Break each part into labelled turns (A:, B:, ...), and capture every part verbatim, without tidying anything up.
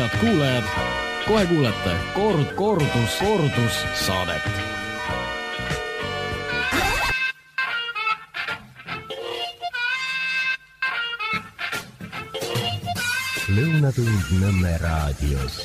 A: head kuulajad, kohe kuulete kord, kordus, kordus saadet.
B: Lõunatund Nõmme raadios.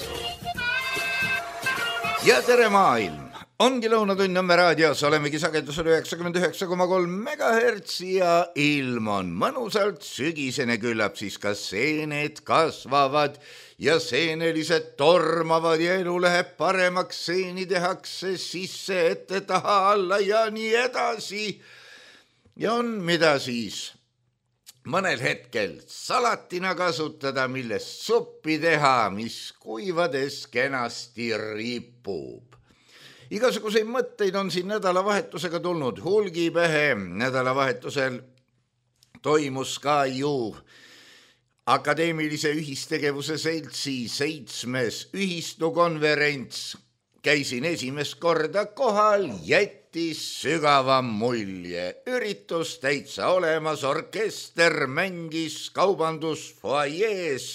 C: Ja tere maailm! Ongi Lõunatund Nõmme raadios, olemegi sagedusel üheksakümmend üheksa koma kolm megahertsi ja ilm on mõnusalt sügisene, küllap siis ka seened kasvavad ja seenelised tormavad ja elu läheb paremaks, seeni tehakse sisse, ette, taha, alla ja nii edasi. Ja on mida siis mõnel hetkel salatina kasutada, millest suppi teha, mis kuivades kenasti ripub. Igasuguseid mõtteid on siin nädalavahetusega tulnud hulgipähe. Nädalavahetusel toimus ka ju Akadeemilise ühistegevuse seltsi seitsmes ühistukonverents. Käisin esimest korda kohal, jättis sügava mulje. Üritus täitsa olemas, orkester mängis kaubandusfoajees.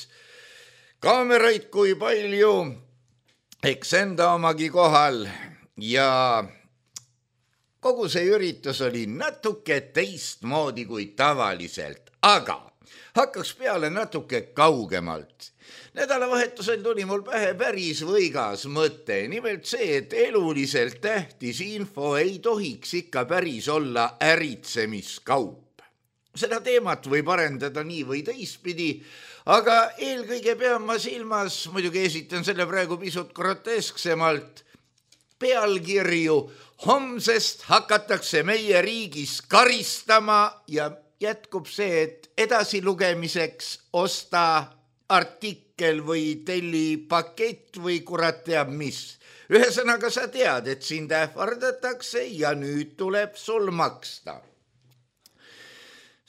C: Kaameraid kui palju, eks enda omagi kohal. Ja kogu see üritus oli natuke teistmoodi kui tavaliselt, aga hakkaks peale natuke kaugemalt. Nädalavahetusel tuli mul pähe päris võigas mõte, nimelt see, et eluliselt tähtis info ei tohiks ikka päris olla äritsemiskaup. Seda teemat võib arendada nii või teistpidi, aga eelkõige pean ma silmas, muidugi esitan selle praegu pisut grotesksemalt, pealkirju homsest hakatakse meie riigis karistama ja jätkub see, et edasilugemiseks osta artikkel või telli pakett või kurat teab mis. Ühesõnaga sa tead, et sind ähvardatakse ja nüüd tuleb sul maksta.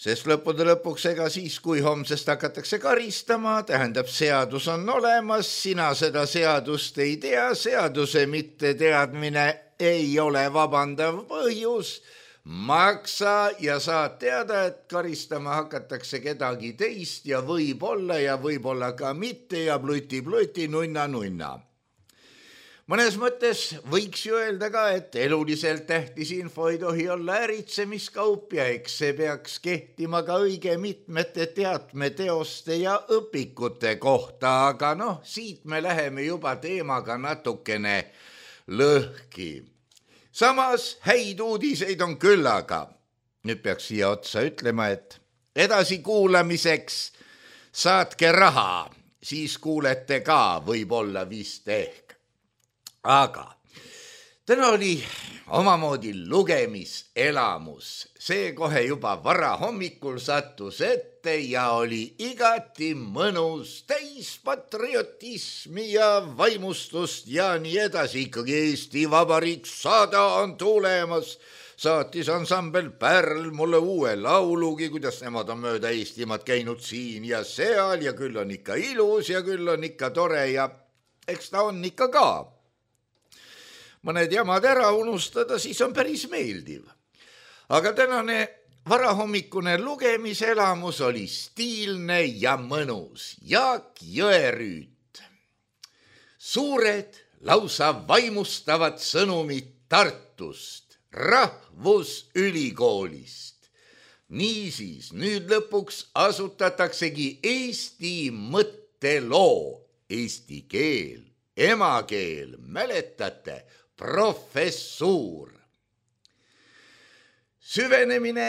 C: Sest lõppude lõpuks ega siis, kui homsest hakatakse karistama, tähendab seadus on olemas, sina seda seadust ei tea, seaduse mitte teadmine ei ole vabandav põhjus, maksa ja saad teada, et karistama hakatakse kedagi teist ja võib-olla ja võib-olla ka mitte ja pluti-pluti, nunna-nunna. Mõnes mõttes võiks ju öelda ka, et eluliselt tähtis info ei tohi olla äritsemiskaup ja eks see peaks kehtima ka õige mitmete teatmeteoste ja õpikute kohta, aga noh, siit me läheme juba teemaga natukene lõhki. Samas häid uudiseid on küllaga. Nüüd peaks siia otsa ütlema, et edasi kuulamiseks saatke raha, siis kuulete ka võib-olla vist ehk. Aga täna oli omamoodi lugemiselamus. See kohe juba vara hommikul sattus ette ja oli igati mõnus, täis patriotismi ja vaimustust ja nii edasi. Ikkagi Eesti Vabariik sada on tulemas. Saatis ansambel Pärl mulle uue laulugi, kuidas nemad on mööda Eestimaad käinud siin ja seal ja küll on ikka ilus ja küll on ikka tore ja eks ta on ikka ka. Mõned jamad ära unustada, siis on päris meeldiv. Aga tänane varahommikune lugemiselamus oli stiilne ja mõnus. Jaak Jõerüüt. Suured, lausa vaimustavad sõnumid Tartust, Rahvusülikoolist. Niisiis, nüüd lõpuks asutataksegi Eesti mõtteloo, eesti keel, emakeel, mäletate, professuur. Süvenemine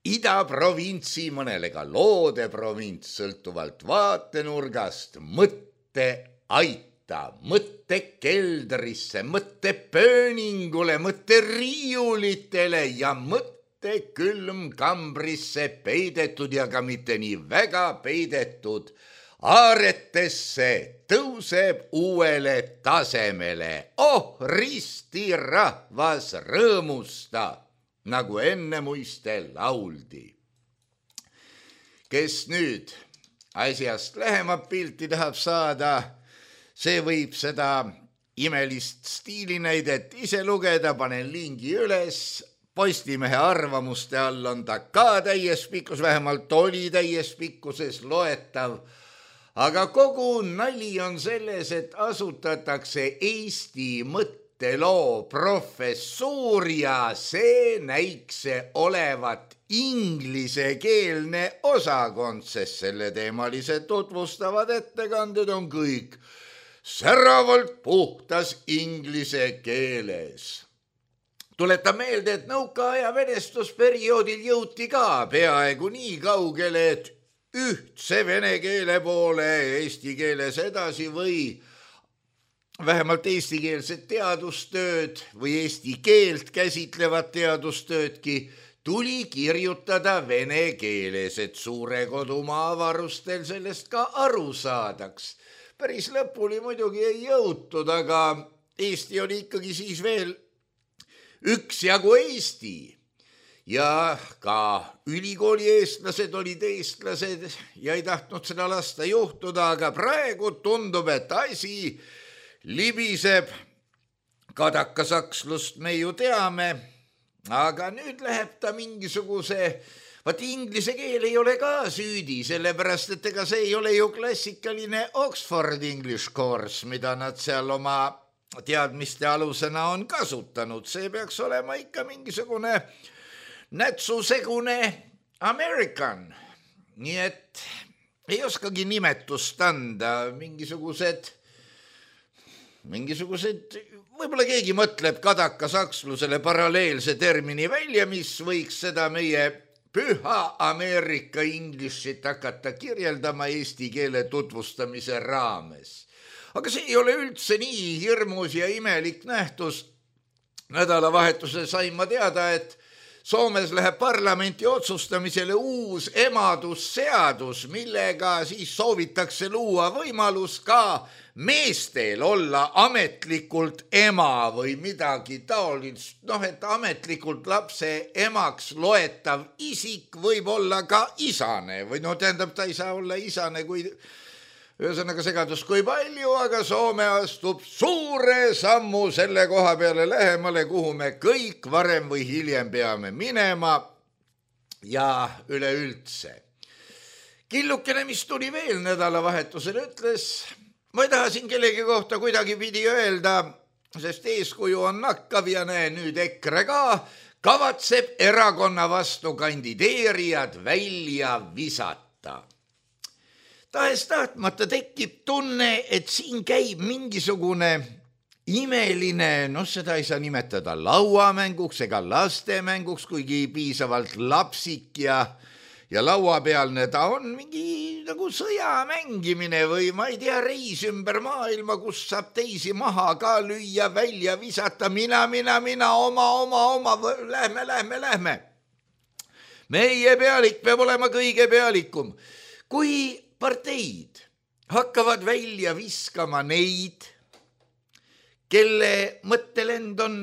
C: idaprovintsi, mõnele ka loode provints, sõltuvalt vaatenurgast, mõtte aita, mõtte keldrisse, mõtte pööningule, mõtte riiulitele ja mõtte külmkambrisse peidetud ja ka mitte nii väga peidetud aaretesse tõuseb uuele tasemele. Oh, risti rahvas rõõmusta, nagu enne muiste lauldi. Kes nüüd asjast lähemat pilti tahab saada, see võib seda imelist stiilinäidet ise lugeda, panen lingi üles. Postimehe arvamuste all on ta ka täies pikkus, vähemalt oli täies pikkuses loetav. aga kogu nali on selles, et asutatakse Eesti mõtteloo professuur ja see näikse olevat inglisekeelne osakond, sest selleteemalised tutvustavad ettekanded on kõik säravalt puhtas inglise keeles. Tuletan meelde, et nõukaaja venestusperioodil jõuti ka peaaegu nii kaugele, et ühtse vene keele poole eesti keeles edasi või vähemalt eestikeelset teadustööd või eesti keelt käsitlevat teadustöödki tuli kirjutada vene keeles, et suure kodumaa avarustel sellest ka aru saadaks. Päris lõpuni muidugi ei jõutud, aga Eesti oli ikkagi siis veel üksjagu Eesti ja ka ülikooli eestlased olid eestlased ja ei tahtnud seda lasta juhtuda, aga praegu tundub, et asi libiseb kadakasakslust me ju teame, aga nüüd läheb ta mingisuguse, vaat inglise keel ei ole ka süüdi, sellepärast et ega see ei ole ju klassikaline Oxford English course, mida nad seal oma teadmiste alusena on kasutanud. See peaks olema ikka mingisugune nätsusegune American. Nii et ei oskagi nimetust anda, mingisugused, mingisugused, võib-olla keegi mõtleb kadakasakslusele paralleelse termini välja, mis võiks seda meie püha Ameerika Englishit hakata kirjeldama eesti keele tutvustamise raames. Aga see ei ole üldse nii hirmus ja imelik nähtus. Nädalavahetusel sain ma teada, et Soomes läheb parlamenti otsustamisele uus emadusseadus, millega siis soovitakse luua võimalus ka meestel olla ametlikult ema või midagi taolist. Noh, et ametlikult lapse emaks loetav isik võib olla ka isane või no tähendab, ta ei saa olla isane, kui ühesõnaga segadus kui palju, aga Soome astub suure sammu selle koha peale lähemale, kuhu me kõik varem või hiljem peame minema ja üleüldse. Killukene, mis tuli veel nädalavahetusel, ütles, ma ei taha siin kellegi kohta kuidagi pidi öelda, sest eeskuju on nakkav ja näe nüüd EKRE ka, kavatseb erakonna vastu kandideerijad välja visata. Tahes tahtmata tekib tunne, et siin käib mingisugune imeline, noh seda ei saa nimetada lauamänguks ega lastemänguks, kuigi piisavalt lapsik ja, ja lauapealne ta on mingi nagu sõja mängimine või ma ei tea, reis ümber maailma, kus saab teisi maha ka lüüa, välja visata, mina, mina, mina, oma, oma, oma, lähme, lähme, lähme. Meie pealik peab olema kõige pealikum. Kui parteid hakkavad välja viskama neid, kelle mõttelend on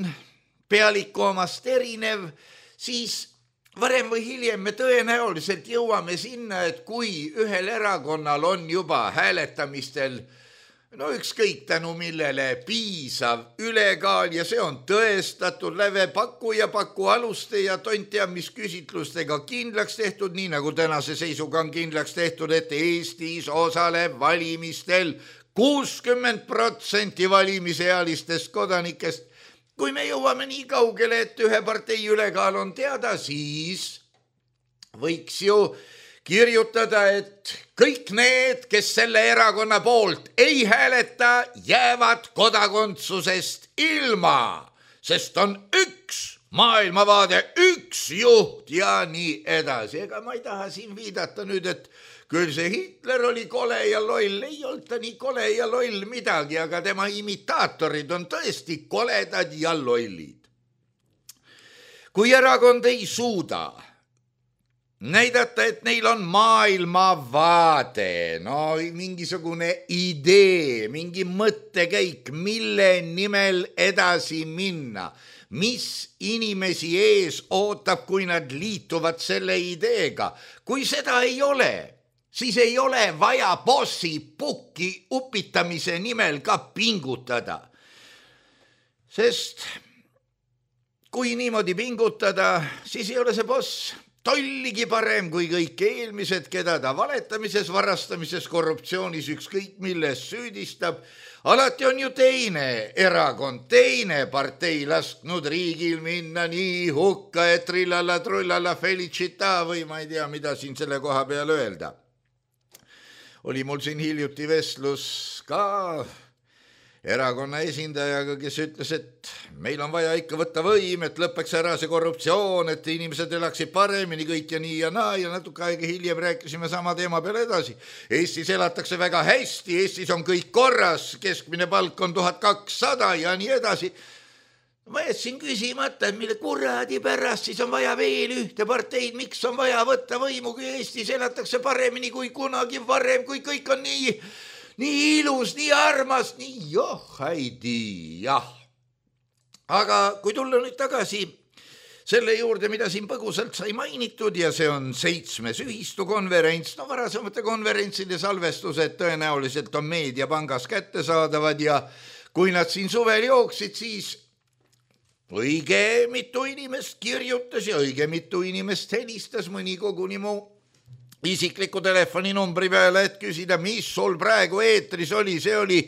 C: pealiku omast erinev, siis varem või hiljem me tõenäoliselt jõuame sinna, et kui ühel erakonnal on juba hääletamistel no ükskõik tänu millele piisav ülekaal ja see on tõestatud läve paku ja paku aluste ja tontia, mis küsitlustega kindlaks tehtud, nii nagu tänase seisuga on kindlaks tehtud, et Eestis osaleb valimistel kuuskümmend protsenti valimisealistest kodanikest. Kui me jõuame nii kaugele, et ühe partei ülekaal on teada, siis võiks ju kirjutada, et kõik need, kes selle erakonna poolt ei hääleta, jäävad kodakondsusest ilma, sest on üks maailmavaade, üks juht ja nii edasi. Ega ma ei taha siin viidata nüüd, et küll see Hitler oli kole ja loll, ei olnud ta nii kole ja loll midagi, aga tema imitaatorid on tõesti koledad ja lollid. Kui erakond ei suuda näidata, et neil on maailmavaade, no mingisugune idee, mingi mõttekäik, mille nimel edasi minna, mis inimesi ees ootab, kui nad liituvad selle ideega. Kui seda ei ole, siis ei ole vaja bossi pukki upitamise nimel ka pingutada. Sest kui niimoodi pingutada, siis ei ole see boss tolligi parem kui kõik eelmised, keda ta valetamises, varastamises, korruptsioonis, ükskõik milles süüdistab. Alati on ju teine erakond, teine partei lasknud riigil minna nii hukka, et trillalla, trullalla, felicita või ma ei tea, mida siin selle koha peal öelda. Oli mul siin hiljuti vestlus ka erakonna esindajaga, kes ütles, et meil on vaja ikka võtta võim, et lõpeks ära see korruptsioon, et inimesed elaksid paremini kõik ja nii ja naa ja natuke aega hiljem rääkisime sama teema peale edasi. Eestis elatakse väga hästi, Eestis on kõik korras, keskmine palk on tuhat kakssada ja nii edasi. Ma jätsin küsimata, et mille kuradi pärast siis on vaja veel ühte parteid, miks on vaja võtta võimu, kui Eestis elatakse paremini kui kunagi varem, kui kõik on nii... nii ilus, nii armas, nii joh, haidi, jah. Aga kui tulla nüüd tagasi selle juurde, mida siin põgusalt sai mainitud ja see on seitsmes ühistukonverents, no varasemate konverentside salvestused tõenäoliselt on Meediapangas kättesaadavad ja kui nad siin suvel jooksid, siis õige mitu inimest kirjutas ja õige mitu inimest helistas, mõni koguni mu isikliku telefoninumbri peale, et küsida, mis sul praegu eetris oli, see oli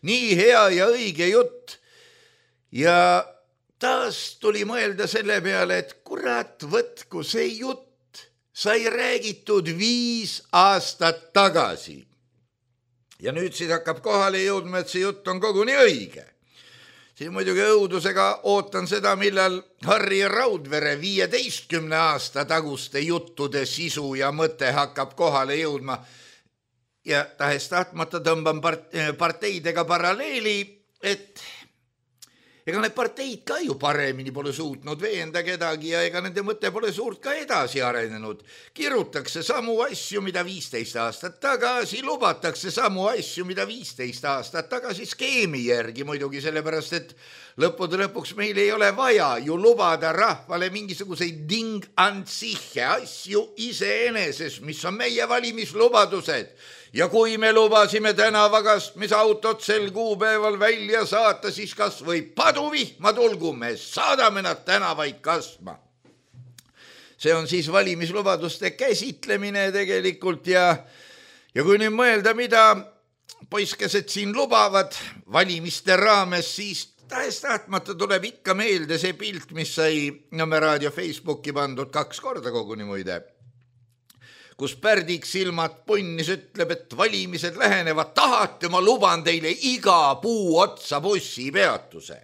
C: nii hea ja õige jutt. Ja taas tuli mõelda selle peale, et kurat, võtku see jutt sai räägitud viis aastat tagasi. Ja nüüd siis hakkab kohale jõudma, et see jutt on koguni õige. Siin muidugi õudusega ootan seda, millal Harri Raudvere viieteistkümne aasta taguste juttude sisu ja mõte hakkab kohale jõudma. Ja tahes tahtmata tõmban parteidega paralleeli, et ega need parteid ka ju paremini pole suutnud veenda kedagi ja ega nende mõte pole suurt ka edasi arenenud. Kirutakse samu asju, mida viisteist aastat tagasi, lubatakse samu asju, mida viisteist aastat tagasi skeemi järgi muidugi, sellepärast et lõppude lõpuks meil ei ole vaja ju lubada rahvale mingisuguseid ding-antsihe asju iseeneses, mis on meie valimislubadused. Ja kui me lubasime tänavakastmisautot sel kuupäeval välja saata, siis kas või paduvihma tulgu, me saadame nad tänavaid kastma. See on siis valimislubaduste käsitlemine tegelikult ja, ja kui nüüd mõelda, mida poiskesed siin lubavad valimiste raames, siis tahes tahtmata tuleb ikka meelde see pilt, mis sai Nõmme Raadio Facebooki pandud kaks korda koguni muide, kus Pärdik silmad punnis ütleb, et valimised lähenevad, tahate, ma luban teile iga puu otsa bussipeatuse.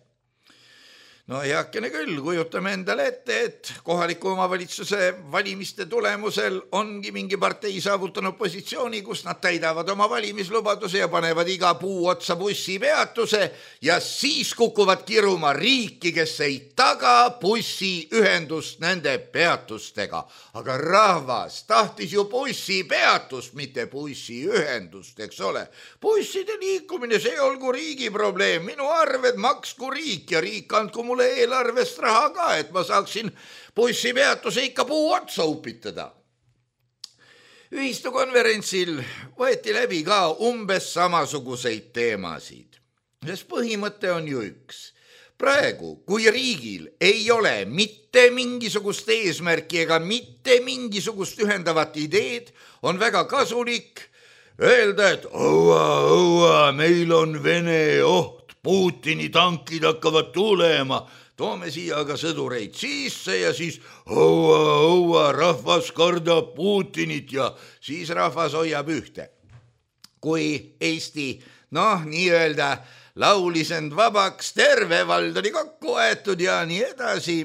C: No heakene küll, kujutame endale ette, et kohaliku omavalitsuse valimiste tulemusel ongi mingi partei saavutanud positsiooni, kus nad täidavad oma valimislubaduse ja panevad iga puu otsa bussipeatuse ja siis kukuvad kiruma riiki, kes ei taga bussiühendust nende peatustega. Aga rahvas tahtis ju bussipeatust, mitte bussiühendust, eks ole. Busside liikumine, see olgu riigi probleem, minu arved maksku riik ja riik andku mulle eelarvest raha ka, et ma saaksin bussipeatuse ikka puu otsa upitada. Ühistukonverentsil võeti läbi ka umbes samasuguseid teemasid, sest põhimõte on ju üks. Praegu, kui riigil ei ole mitte mingisugust eesmärki ega mitte mingisugust ühendavat ideed, on väga kasulik öelda, et õua, õua, meil on Vene oht, Putini tankid hakkavad tulema, toome siia aga sõdureid sisse ja siis õua, õua, rahvas kardab Putinit ja siis rahvas hoiab ühte. Kui Eesti, noh, nii-öelda laulis end vabaks, terve vald oli kokku aetud ja nii edasi,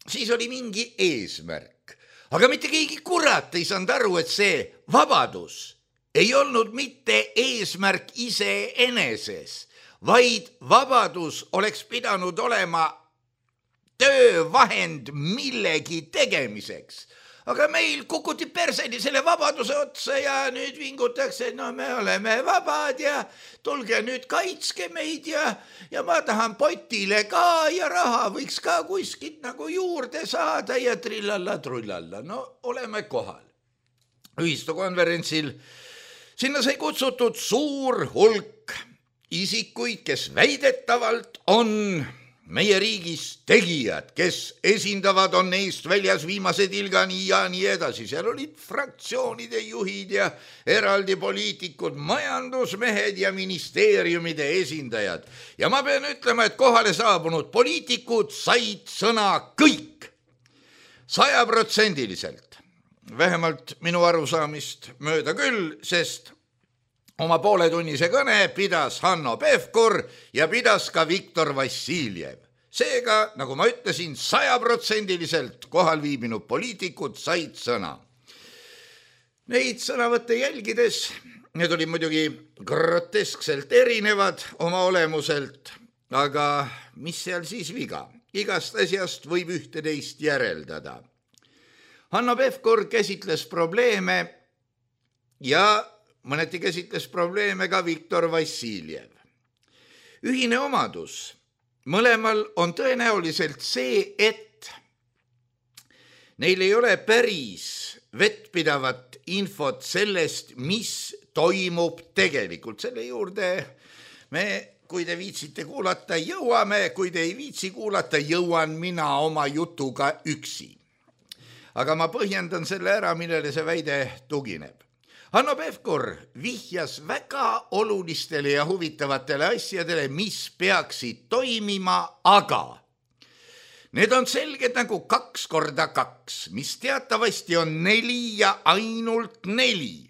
C: siis oli mingi eesmärk. Aga mitte keegi kurat ei saanud aru, et see vabadus ei olnud mitte eesmärk iseeneses, vaid vabadus oleks pidanud olema töövahend millegi tegemiseks. Aga meil kukuti perseni selle vabaduse otsa ja nüüd vingutakse, no me oleme vabad ja tulge nüüd kaitske meid ja, ja ma tahan potile ka ja raha võiks ka kuskilt nagu juurde saada ja trillalla, trullalla. No oleme kohal. Ühistukonverentsil sinna sai kutsutud suur hulk isikuid, kes väidetavalt on meie riigis tegijad, kes esindavad, on neist väljas viimase tilgani ja nii edasi. Seal olid fraktsioonide juhid ja eraldi poliitikud, majandusmehed ja ministeeriumide esindajad. Ja ma pean ütlema, et kohale saabunud poliitikud said sõna kõik. Sajaprotsendiliselt. Vähemalt minu arusaamist mööda küll, sest oma pooletunnise kõne pidas Hanno Pevkur ja pidas ka Viktor Vassiljev. Seega, nagu ma ütlesin, sajaprotsendiliselt kohal viibinud poliitikud said sõna. Neid sõnavõtte jälgides, need olid muidugi groteskselt erinevad oma olemuselt, aga mis seal siis viga? Igast asjast võib ühte teist järeldada. Hanno Pevkur käsitles probleeme ja mõneti käsitles probleeme ka Viktor Vassiljev. Ühine omadus mõlemal on tõenäoliselt see, et neil ei ole päris vettpidavat infot sellest, mis toimub tegelikult. Selle juurde me, kui te viitsite kuulata, jõuame, kui te ei viitsi kuulata, jõuan mina oma jutuga üksi. Aga ma põhjendan selle ära, millele see väide tugineb. Hanno Pevkur vihjas väga olulistele ja huvitavatele asjadele, mis peaksid toimima, aga need on selged nagu kaks korda kaks, mis teatavasti on neli ja ainult neli.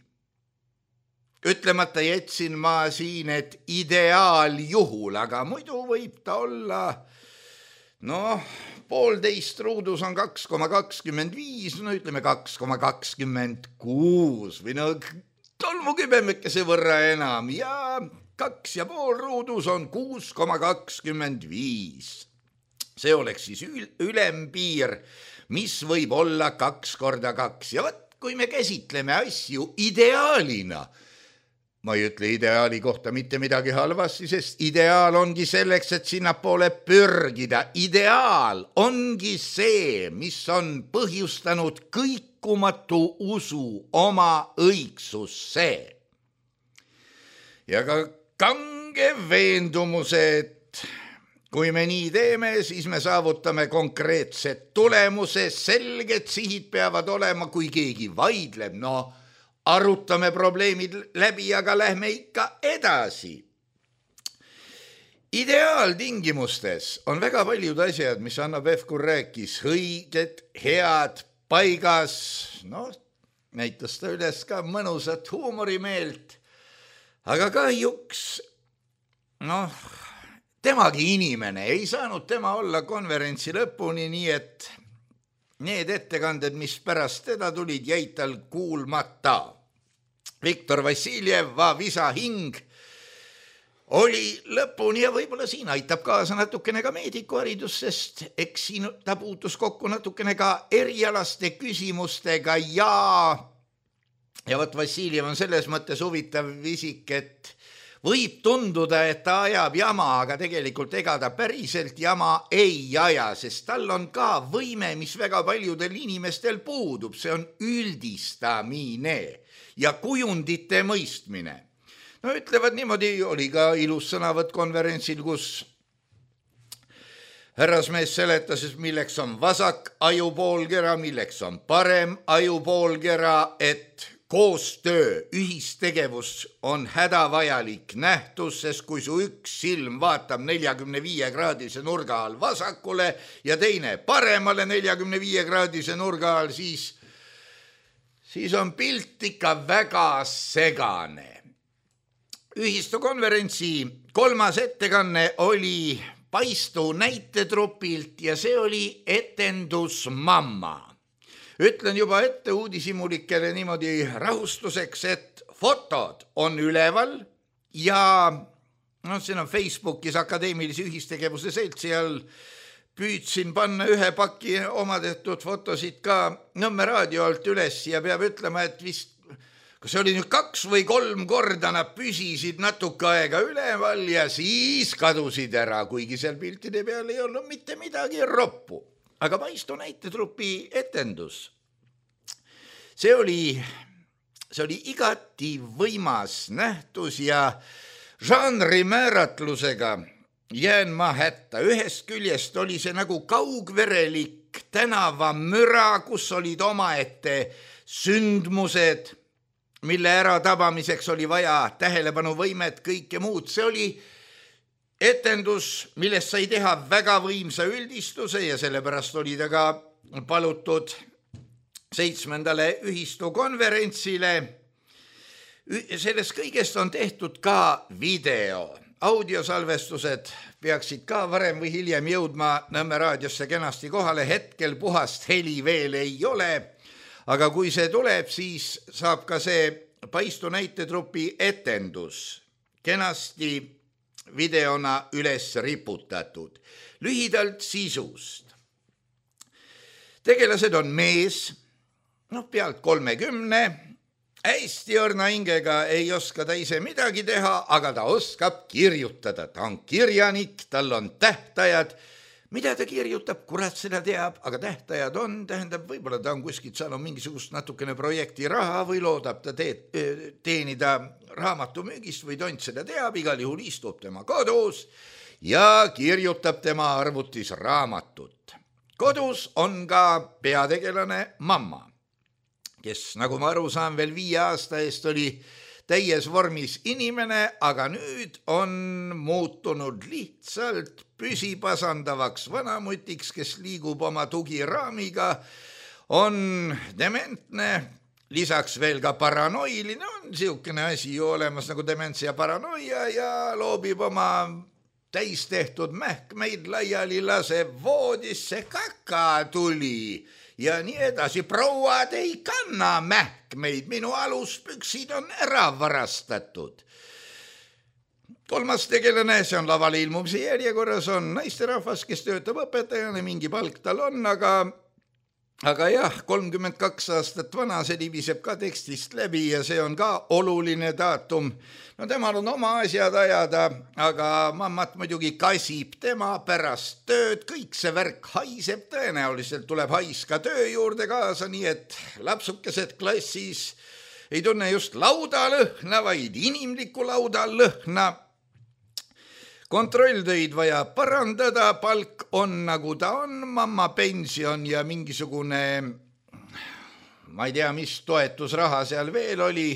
C: Ütlemata jätsin ma siin, et ideaaljuhul, aga muidu võib ta olla, noh, poolteist ruudus on kaks koma kakskümmend viis, no ütleme kaks koma kakskümmend kuus või no tolmukübemekese võrra enam ja kaks ja pool ruudus on kuus koma kakskümmend viis. See oleks siis ülempiir, mis võib olla kaks korda kaks. Ja võt, kui me käsitleme asju ideaalina, ma ei ütle ideaali kohta mitte midagi halvasti, sest ideaal ongi selleks, et sinna poole pürgida. Ideaal ongi see, mis on põhjustanud kõikumatu usu oma õigsusse. Ja ka kange veendumuse, et kui me nii teeme, siis me saavutame konkreetsed tulemuse, selged sihid peavad olema, kui keegi vaidleb, no arutame probleemid läbi, aga lähme ikka edasi. Ideaaltingimustes on väga paljud asjad, mis Hanno Pevkur rääkis, õiged, head, paigas, noh, näitas ta üles ka mõnusat huumorimeelt, aga kahjuks, noh, temagi inimene, ei saanud tema olla konverentsi lõpuni, nii et need ettekanded, mis pärast teda tulid, jäid tal kuulmata. Viktor Vassiljev, va visa hing, oli lõpuni ja võib-olla siin aitab kaasa natukene ka meedikuharidus, sest eks siin ta puutus kokku natukene ka erialaste küsimustega ja ja võt Vassiljev on selles mõttes huvitav isik, et võib tunduda, et ta ajab jama, aga tegelikult ega ta päriselt jama ei aja, sest tal on ka võime, mis väga paljudel inimestel puudub, see on üldistamine ja kujundite mõistmine. No ütlevad niimoodi, oli ka ilus sõnavõtt konverentsil, kus härrasmees seletas, milleks on vasak ajupoolkera, milleks on parem ajupoolkera, et koostöö, ühistegevus on hädavajalik nähtus, sest kui su üks silm vaatab neljakümne viie kraadise nurga all vasakule ja teine paremale neljakümne viie kraadise nurga all, siis, siis on pilt ikka väga segane. Ühistukonverentsi kolmas ettekanne oli Paistu näitetrupilt ja see oli etendus Mamma. Ütlen juba ette uudishimulikele niimoodi rahustuseks, et fotod on üleval ja no, siin on Facebookis Akadeemilise ühistegevuse seltsi all püüdsin panna ühe paki oma tehtud fotosid ka Nõmme raadio alt üles ja peab ütlema, et vist kas see oli nüüd kaks või kolm korda nad püsisid natuke aega üleval ja siis kadusid ära, kuigi seal piltide peal ei olnud mitte midagi roppu. Aga Paistu näitetrupi etendus, see oli, see oli igati võimas nähtus ja žanri määratlusega jään ma hätta. Ühest küljest oli see nagu kaugverelik tänavamüra, kus olid omaette sündmused, mille ära tabamiseks oli vaja tähelepanuvõimet, kõike muud. See oli etendus, millest sai teha väga võimsa üldistuse ja sellepärast oli ta ka palutud seitsmendale ühistukonverentsile. Sellest kõigest on tehtud ka video. Audiosalvestused peaksid ka varem või hiljem jõudma Nõmme raadiosse kenasti kohale. Hetkel puhast heli veel ei ole, aga kui see tuleb, siis saab ka see Paistu näitetrupi etendus kenasti videona üles riputatud. Lühidalt sisust. Tegelased on mees, no pealt kolmekümne, hästi õrna hingega, ei oska ta ise midagi teha, aga ta oskab kirjutada. Ta on kirjanik, tal on tähtajad. Mida ta kirjutab, kurat seda teab, aga tähtajad on, tähendab, võib-olla ta on kuskilt saanud mingisugust natukene projekti raha või loodab ta teed, teenida raamatumüügist või tont seda teab, igal juhul istub tema kodus ja kirjutab tema arvutis raamatut. Kodus on ka peategelane mamma, kes, nagu ma aru saan, veel viie aasta eest oli täies vormis inimene, aga nüüd on muutunud lihtsalt püsipasandavaks vanamutiks, kes liigub oma tugiraamiga, on dementne, lisaks veel ka paranoiline, on siukene asi ju olemas nagu dementsia paranoia ja loobib oma täis tehtud mähkmeid laiali, laseb voodisse, kaka tuli ja nii edasi. Prouad ei kanna mähkmeid, minu aluspüksid on ära varastatud. Kolmas tegelane, see on lavale ilmumise järjekorras, on naisterahvas, kes töötab õpetajana, mingi palk tal on, aga, aga jah, kolmkümmend kaks aastat vana, see libiseb ka tekstist läbi ja see on ka oluline daatum. No temal on oma asjad ajada, aga mammat muidugi kasib tema pärast tööd, kõik see värk haiseb, tõenäoliselt tuleb hais ka töö juurde kaasa, nii et lapsukesed klassis ei tunne just laudalõhna, vaid inimliku laudalõhna. Kontrolltöid vaja parandada, palk on nagu ta on, mamma pension ja mingisugune, ma ei tea, mis toetusraha seal veel oli,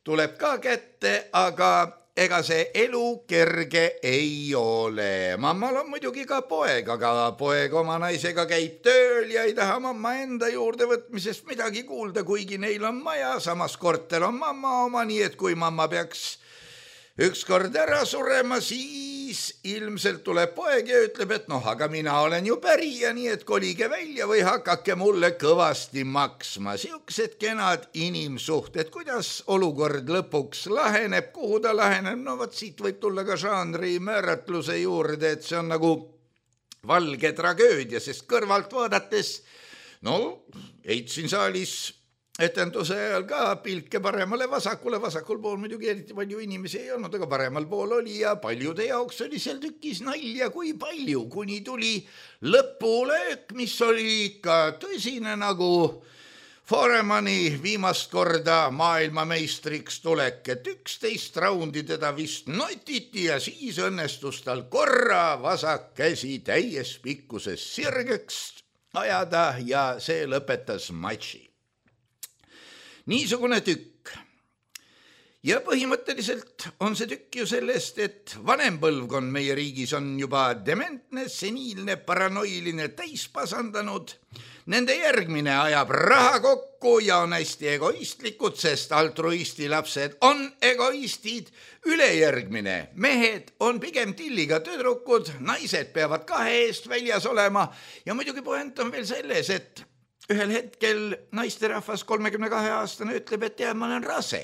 C: tuleb ka kätte, aga ega see elu kerge ei ole. Mammal on muidugi ka poeg, aga poeg oma naisega käib tööl ja ei taha mamma enda juurde võtmisest midagi kuulda, kuigi neil on maja, samas korter on mamma oma, nii et kui mamma peaks ükskord ära surema, siis ilmselt tuleb poeg ja ütleb, et noh, aga mina olen ju pärija, nii et kolige välja või hakake mulle kõvasti maksma. Siuksed kenad inimsuhted, kuidas olukord lõpuks laheneb, kuhu ta laheneb, no võt siit võib tulla ka žanri määratluse juurde, et see on nagu valge tragöödia, sest kõrvalt vaadates, no heitsin saalis etenduse ajal ka pilke paremale vasakule, vasakul pool muidugi eriti palju inimesi ei olnud, aga paremal pool oli ja paljude jaoks oli seal tükis nalja kui palju, kuni tuli lõpulöök, mis oli ikka tõsine nagu Foremani viimast korda maailmameistriks tulek, et üksteist raundi teda vist notiti ja siis õnnestus tal korra vasak käsi täies pikkuses sirgeks ajada ja see lõpetas matši. Niisugune tükk. Ja põhimõtteliselt on see tükk ju sellest, et vanem põlvkond meie riigis on juba dementne, seniilne, paranoiline täispasandanud. Nende järgmine ajab raha kokku ja on hästi egoistlikud, sest altruisti lapsed on egoistid. Ülejärgmine mehed on pigem tilliga tüdrukud, naised peavad kahe eest väljas olema ja muidugi point on veel selles, et ühel hetkel naisterahvas kolmekümne kahe aastane ütleb, et tead, ma olen rase.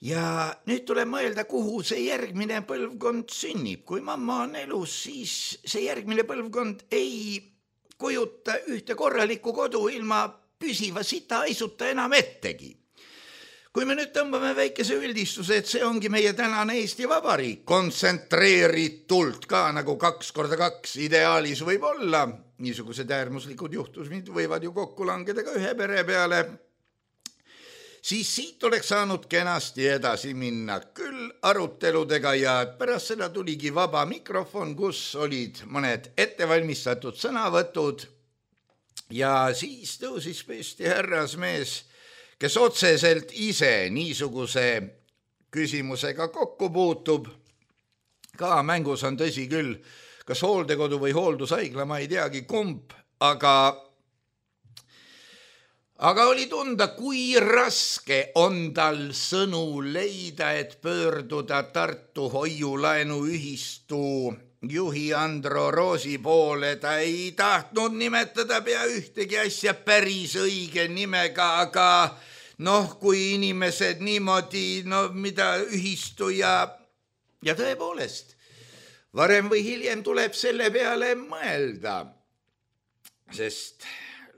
C: Ja nüüd tuleb mõelda, kuhu see järgmine põlvkond sünnib. Kui mamma on elus, siis see järgmine põlvkond ei kujuta ühte korralikku kodu ilma püsiva sita aisuta enam ettegi. Kui me nüüd tõmbame väikese üldistuse, et see ongi meie tänane Eesti Vabariik, kontsentreeritult ka nagu kaks korda kaks ideaalis võib olla, niisugused äärmuslikud juhtusmid võivad ju kokku langeda ka ühe pere peale, siis siit oleks saanud kenasti edasi minna küll aruteludega ja pärast seda tuligi vaba mikrofon, kus olid mõned ettevalmistatud sõnavõtud ja siis tõusis püsti härrasmees, kes otseselt ise niisuguse küsimusega kokku puutub. Ka mängus on tõsi küll, kas hooldekodu või hooldushaigla, ma ei teagi kumb, aga, aga oli tunda, kui raske on tal sõnu leida, et pöörduda Tartu hoiulaenuühistu juhi Andro Roosi poole. Ta ei tahtnud nimetada pea ühtegi asja päris õige nimega, aga noh, kui inimesed niimoodi, no mida ühistu ja, ja tõepoolest, varem või hiljem tuleb selle peale mõelda, sest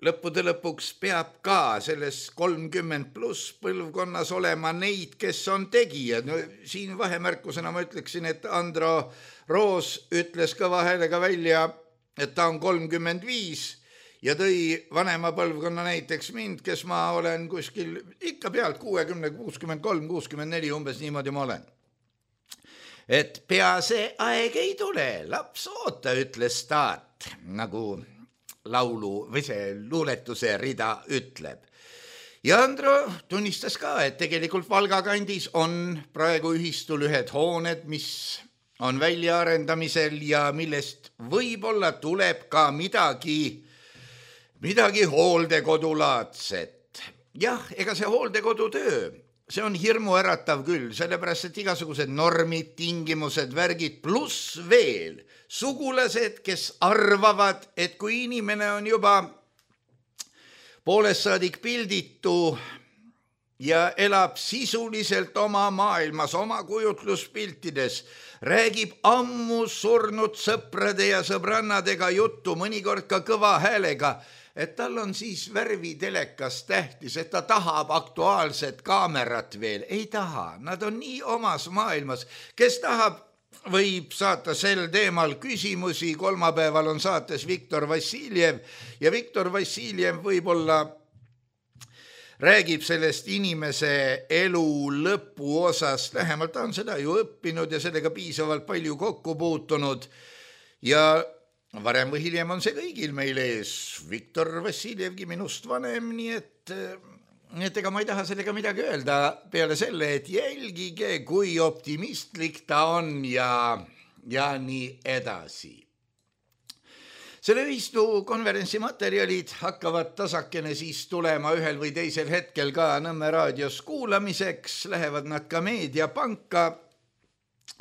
C: lõppude lõpuks peab ka selles kolmkümmend pluss põlvkonnas olema neid, kes on tegijad. No, siin vahemärkusena ma ütleksin, et Andro Roos ütles kõva häälega välja, et ta on kolmkümmend viis ja tõi vanema põlvkonna näiteks mind, kes ma olen kuskil ikka pealt kuuekümne, kuuskümmend kolm, kuuskümmend neli, umbes niimoodi ma olen. Et pea see aeg ei tule, laps oota, ütles taat, nagu laulu või see luuletuse rida ütleb. Ja Andro tunnistas ka, et tegelikult Valga kandis on praegu ühistul ühed hooned, mis on väljaarendamisel ja millest võib-olla tuleb ka midagi midagi hooldekodulaadset. Jah, ega see hooldekodutöö, see on hirmuäratav küll, sellepärast, et igasugused normid, tingimused, värgid, pluss veel sugulased, kes arvavad, et kui inimene on juba poolest saadik pilditu ja elab sisuliselt oma maailmas, oma kujutluspiltides, räägib ammu surnud sõprade ja sõbrannadega juttu, mõnikord ka kõva häälega, et tal on siis värvitelekas tähtis, et ta tahab aktuaalset kaamerat veel. Ei taha, nad on nii omas maailmas. Kes tahab, võib saata sel teemal küsimusi. Kolmapäeval on saates Viktor Vassiljev ja Viktor Vassiljev võib-olla räägib sellest inimese elu lõpu osast. Lähemalt ta on seda ju õppinud ja sellega piisavalt palju kokku puutunud ja varem või hiljem on see kõigil meil ees. Viktor Vassiljevgi minust vanem, nii et, et ega ma ei taha sellega midagi öelda peale selle, et jälgige, kui optimistlik ta on ja, ja nii edasi. Selle ühistu konverentsi materjalid hakkavad tasakene siis tulema ühel või teisel hetkel ka Nõmme raadios kuulamiseks, lähevad nad ka meediapanka.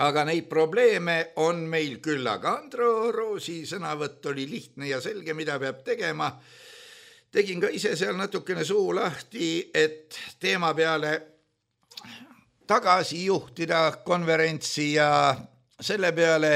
C: Aga neid probleeme on meil küll, aga Andro Roosi sõnavõtt oli lihtne ja selge, mida peab tegema. Tegin ka ise seal natukene suu lahti, et teema peale tagasi juhtida konverentsi ja selle peale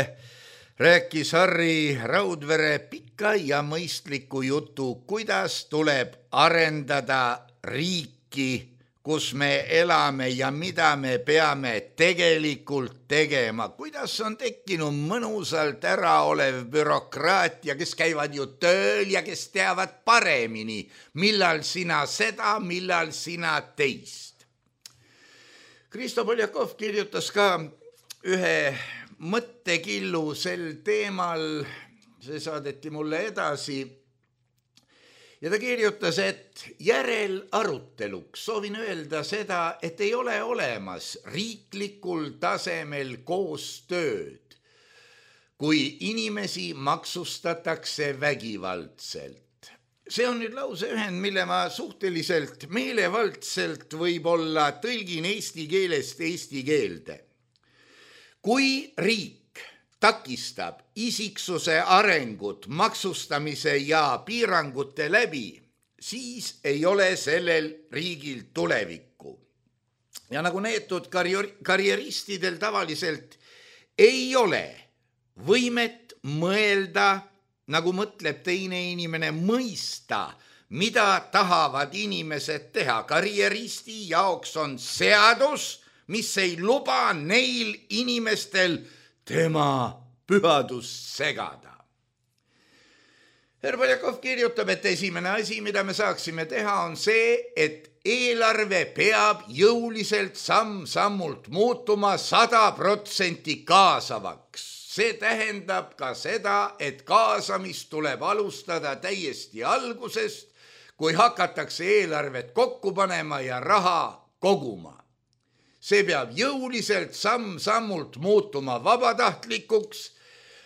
C: rääkis Harri Raudvere pika ja mõistliku jutu, kuidas tuleb arendada riiki, kus me elame ja mida me peame tegelikult tegema. Kuidas on tekkinud mõnusalt ära olev bürokraatia, kes käivad ju tööl ja kes teavad paremini, millal sina seda, millal sina teist. Kristo Poljakov kirjutas ka ühe mõttekillu sel teemal, see saadeti mulle edasi. Ja ta kirjutas, et järel aruteluks soovin öelda seda, et ei ole olemas riiklikul tasemel koostööd, kui inimesi maksustatakse vägivaldselt. See on nüüd lause ühend, mille ma suhteliselt meelevaldselt võib-olla tõlgin eesti keelest eesti keelde. Kui riik takistab isiksuse arengut maksustamise ja piirangute läbi, siis ei ole sellel riigil tulevikku. Ja nagu neetud karjeristidel tavaliselt ei ole võimet mõelda, nagu mõtleb teine inimene, mõista, mida tahavad inimesed teha. Karjeristi jaoks on seadus, mis ei luba neil inimestel tema pühadust segada. Herr Poljakov kirjutab, et esimene asi, mida me saaksime teha, on see, et eelarve peab jõuliselt samm-sammult muutuma sada protsenti kaasavaks. See tähendab ka seda, et kaasamist tuleb alustada täiesti algusest, kui hakatakse eelarvet kokku panema ja raha koguma. See peab jõuliselt samm-sammult muutuma vabatahtlikuks,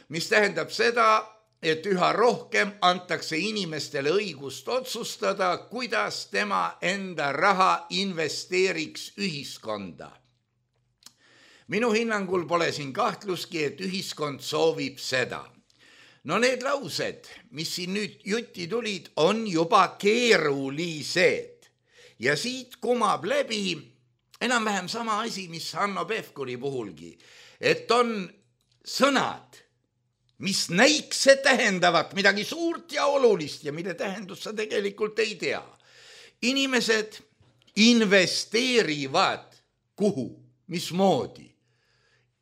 C: mis tähendab seda, et üha rohkem antakse inimestele õigust otsustada, kuidas tema enda raha investeeriks ühiskonda. Minu hinnangul pole siin kahtluski, et ühiskond soovib seda. No need laused, mis siin nüüd jutti tulid, on juba keerulised. Ja siit kumab läbi enam-vähem sama asi, mis Hanno Pevkuri puhulgi, et on sõnad, mis näikse tähendavat midagi suurt ja olulist ja mille tähendust sa tegelikult ei tea. Inimesed investeerivad kuhu, mismoodi.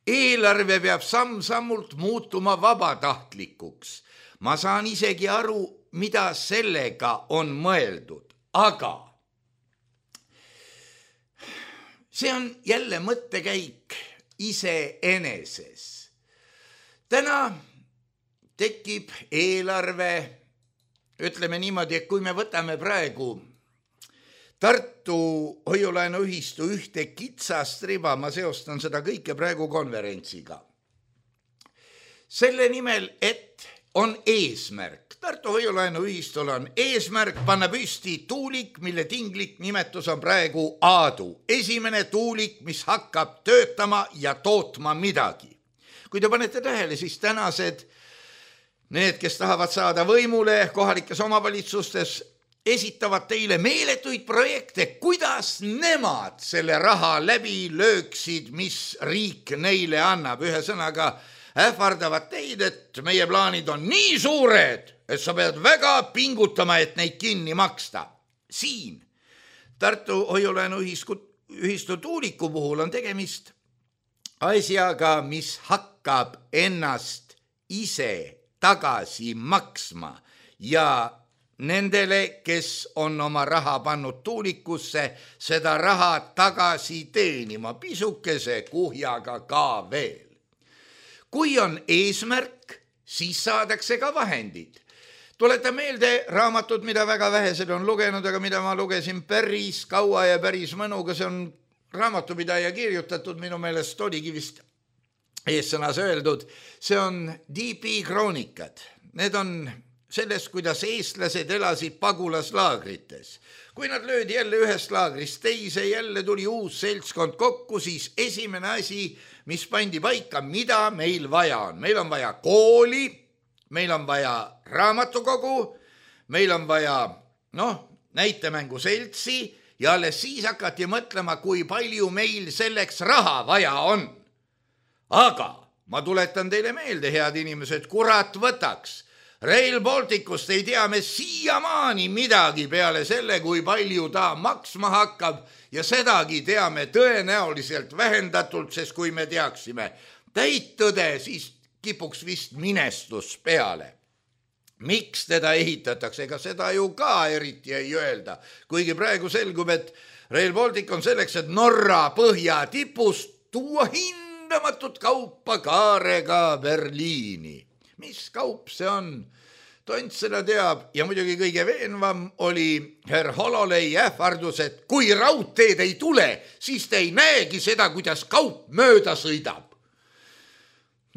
C: Eelarve peab samm-sammult muutuma vabatahtlikuks. Ma saan isegi aru, mida sellega on mõeldud, aga see on jälle mõttekäik iseeneses. Täna tekib eelarve, ütleme niimoodi, et kui me võtame praegu Tartu hoiulaenuühistu ühte kitsast riba, ma seostan seda kõike praegu konverentsiga. Selle nimel, et on eesmärk. Tartu hoiulaenuühistul on eesmärk panna püsti tuulik, mille tinglik nimetus on praegu Aadu. Esimene tuulik, mis hakkab töötama ja tootma midagi. Kui te panete tähele, siis tänased need, kes tahavad saada võimule kohalikes omavalitsustes, esitavad teile meeletuid projekte, kuidas nemad selle raha läbi lööksid, mis riik neile annab. Ühe sõnaga ähvardavad teid, et meie plaanid on nii suured, et sa pead väga pingutama, et neid kinni maksta. Siin Tartu hoiulaenuühistu tuuliku puhul on tegemist asjaga, mis hakkab ennast ise tagasi maksma ja nendele, kes on oma raha pannud tuulikusse, seda raha tagasi teenima, pisukese kuhjaga ka veel. Kui on eesmärk, siis saadakse ka vahendid. Tuleta meelde raamatut, mida väga vähesed on lugenud, aga mida ma lugesin päris kaua ja päris mõnuga. See on raamatupidaja kirjutatud, minu meelest oligi vist eessõnas öeldud. See on D P kroonikad. Need on sellest, kuidas eestlased elasid pagulaslaagrites. Kui nad löödi jälle ühest laagrist teise, jälle tuli uus seltskond kokku, siis esimene asi, mis pandi paika, mida meil vaja on. Meil on vaja kooli, meil on vaja raamatukogu, meil on vaja noh, näitemänguseltsi ja alles siis hakati mõtlema, kui palju meil selleks raha vaja on. Aga ma tuletan teile meelde, head inimesed, kurat võtaks. Rail Balticust ei tea me siiamaani midagi peale selle, kui palju ta maksma hakkab ja sedagi teame tõenäoliselt vähendatult, sest kui me teaksime täit tõde, siis kipuks vist minestus peale. Miks teda ehitatakse, ega seda ju ka eriti ei öelda, kuigi praegu selgub, et Rail Baltic on selleks, et Norra põhja tipust tuua hindamatut kaupa kaarega Berliini. Mis kaup see on? Tont seda teab ja muidugi kõige veenvam oli herr Hololei ähvardus, et kui raudteed ei tule, siis te ei näegi seda, kuidas kaup mööda sõidab.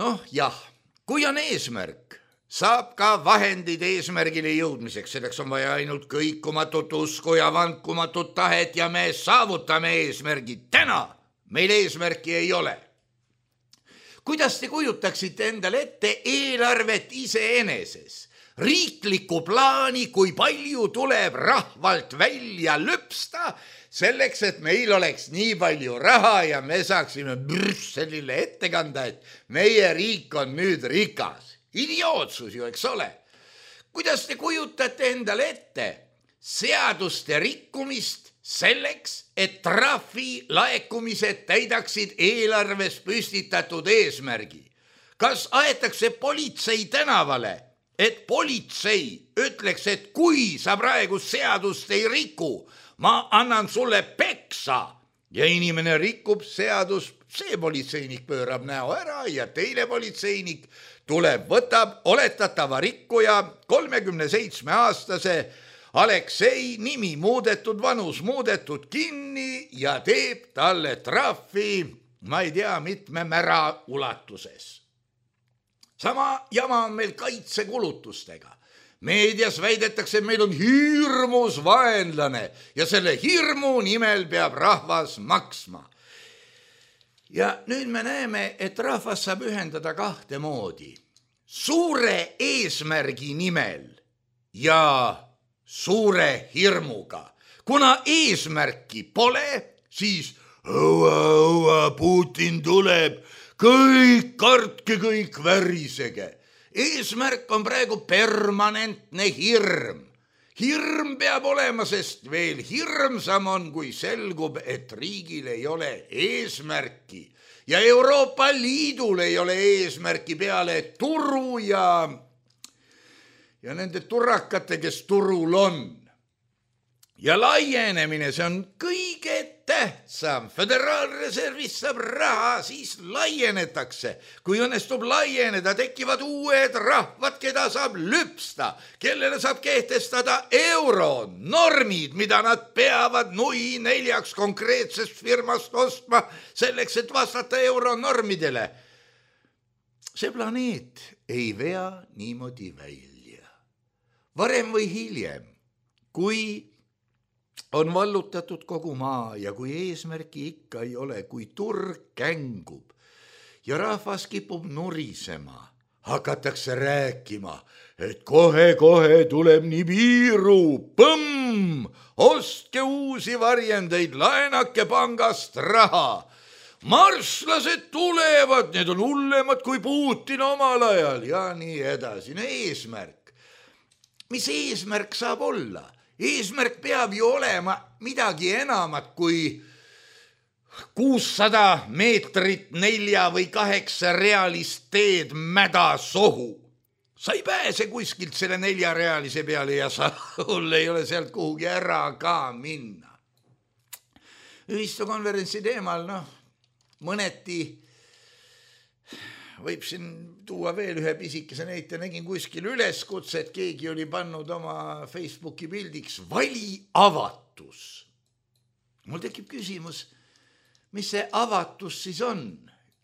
C: Noh jah, kui on eesmärk, saab ka vahendid eesmärgile jõudmiseks. Selleks on vaja ainult kõikumatut usku ja vankumatut tahet ja me saavutame eesmärgid. Täna meil eesmärki ei ole. Kuidas te kujutaksite endale ette eelarvet iseeneses? Riikliku plaani, kui palju tuleb rahvalt välja lõpsta, selleks, et meil oleks nii palju raha ja me saaksime Brüsselile ette kanda, et meie riik on nüüd rikas. Idiootsus ju, eks ole. Kuidas te kujutate endale ette seaduste rikkumist selleks, et trahvi laekumised täidaksid eelarves püstitatud eesmärgi? Kas aetakse politsei tänavale, et politsei ütleks, et kui sa praegu seadust ei riku, ma annan sulle peksa. Ja inimene rikub seadus, see politseinik pöörab näo ära ja teine politseinik tuleb, võtab oletatava rikkuja kolmekümne seitsme aastase Aleksei, nimi muudetud, vanus muudetud, kinni ja teeb talle trahvi, ma ei tea, mitme mära ulatuses. Sama jama on meil kaitsekulutustega. Meedias väidetakse, et meil on hirmus vaenlane ja selle hirmu nimel peab rahvas maksma. Ja nüüd me näeme, et rahvas saab ühendada kahte moodi. Suure eesmärgi nimel ja suure hirmuga. Kuna eesmärki pole, siis õua, õua, Putin tuleb, kõik kartke, kõik värisege. Eesmärk on praegu permanentne hirm. Hirm peab olema, sest veel hirmsam on, kui selgub, et riigil ei ole eesmärki. Ja Euroopa Liidul ei ole eesmärki peale turu ja, ja nende turrakate, kes turul on. Ja laienemine, see on kõige tähtsam. Föderaalreservist saab raha, siis laienetakse. Kui õnnestub laieneda, tekivad uued rahvad, keda saab lüpsta, kellele saab kehtestada euro, normid, mida nad peavad nui neljaks konkreetsest firmast ostma, selleks, et vastata euro normidele. See planeet ei vea niimoodi välja. Varem või hiljem, kui on vallutatud kogu maa ja kui eesmärki ikka ei ole, kui turg kängub ja rahvas kipub nurisema, hakatakse rääkima, et kohe-kohe tuleb Nibiru, põmm, ostke uusi varjendeid, laenake pangast raha. Marslased tulevad, need on hullemad kui Putin omal ajal ja nii edasi. No eesmärk. Mis eesmärk saab olla? Eesmärk peab ju olema midagi enamat kui kuussada meetrit nelja või kaheksa realist teed mäda sohu. Sa ei pääse kuskilt selle neljarealise peale ja sa ei ole sealt kuhugi ära ka minna. Ühistukonverentsi teemal, noh, mõneti võib siin tuua veel ühe pisikese näite, nägin kuskil üleskutse, et keegi oli pannud oma Facebooki pildiks vali avatus. Mul tekib küsimus, mis see avatus siis on?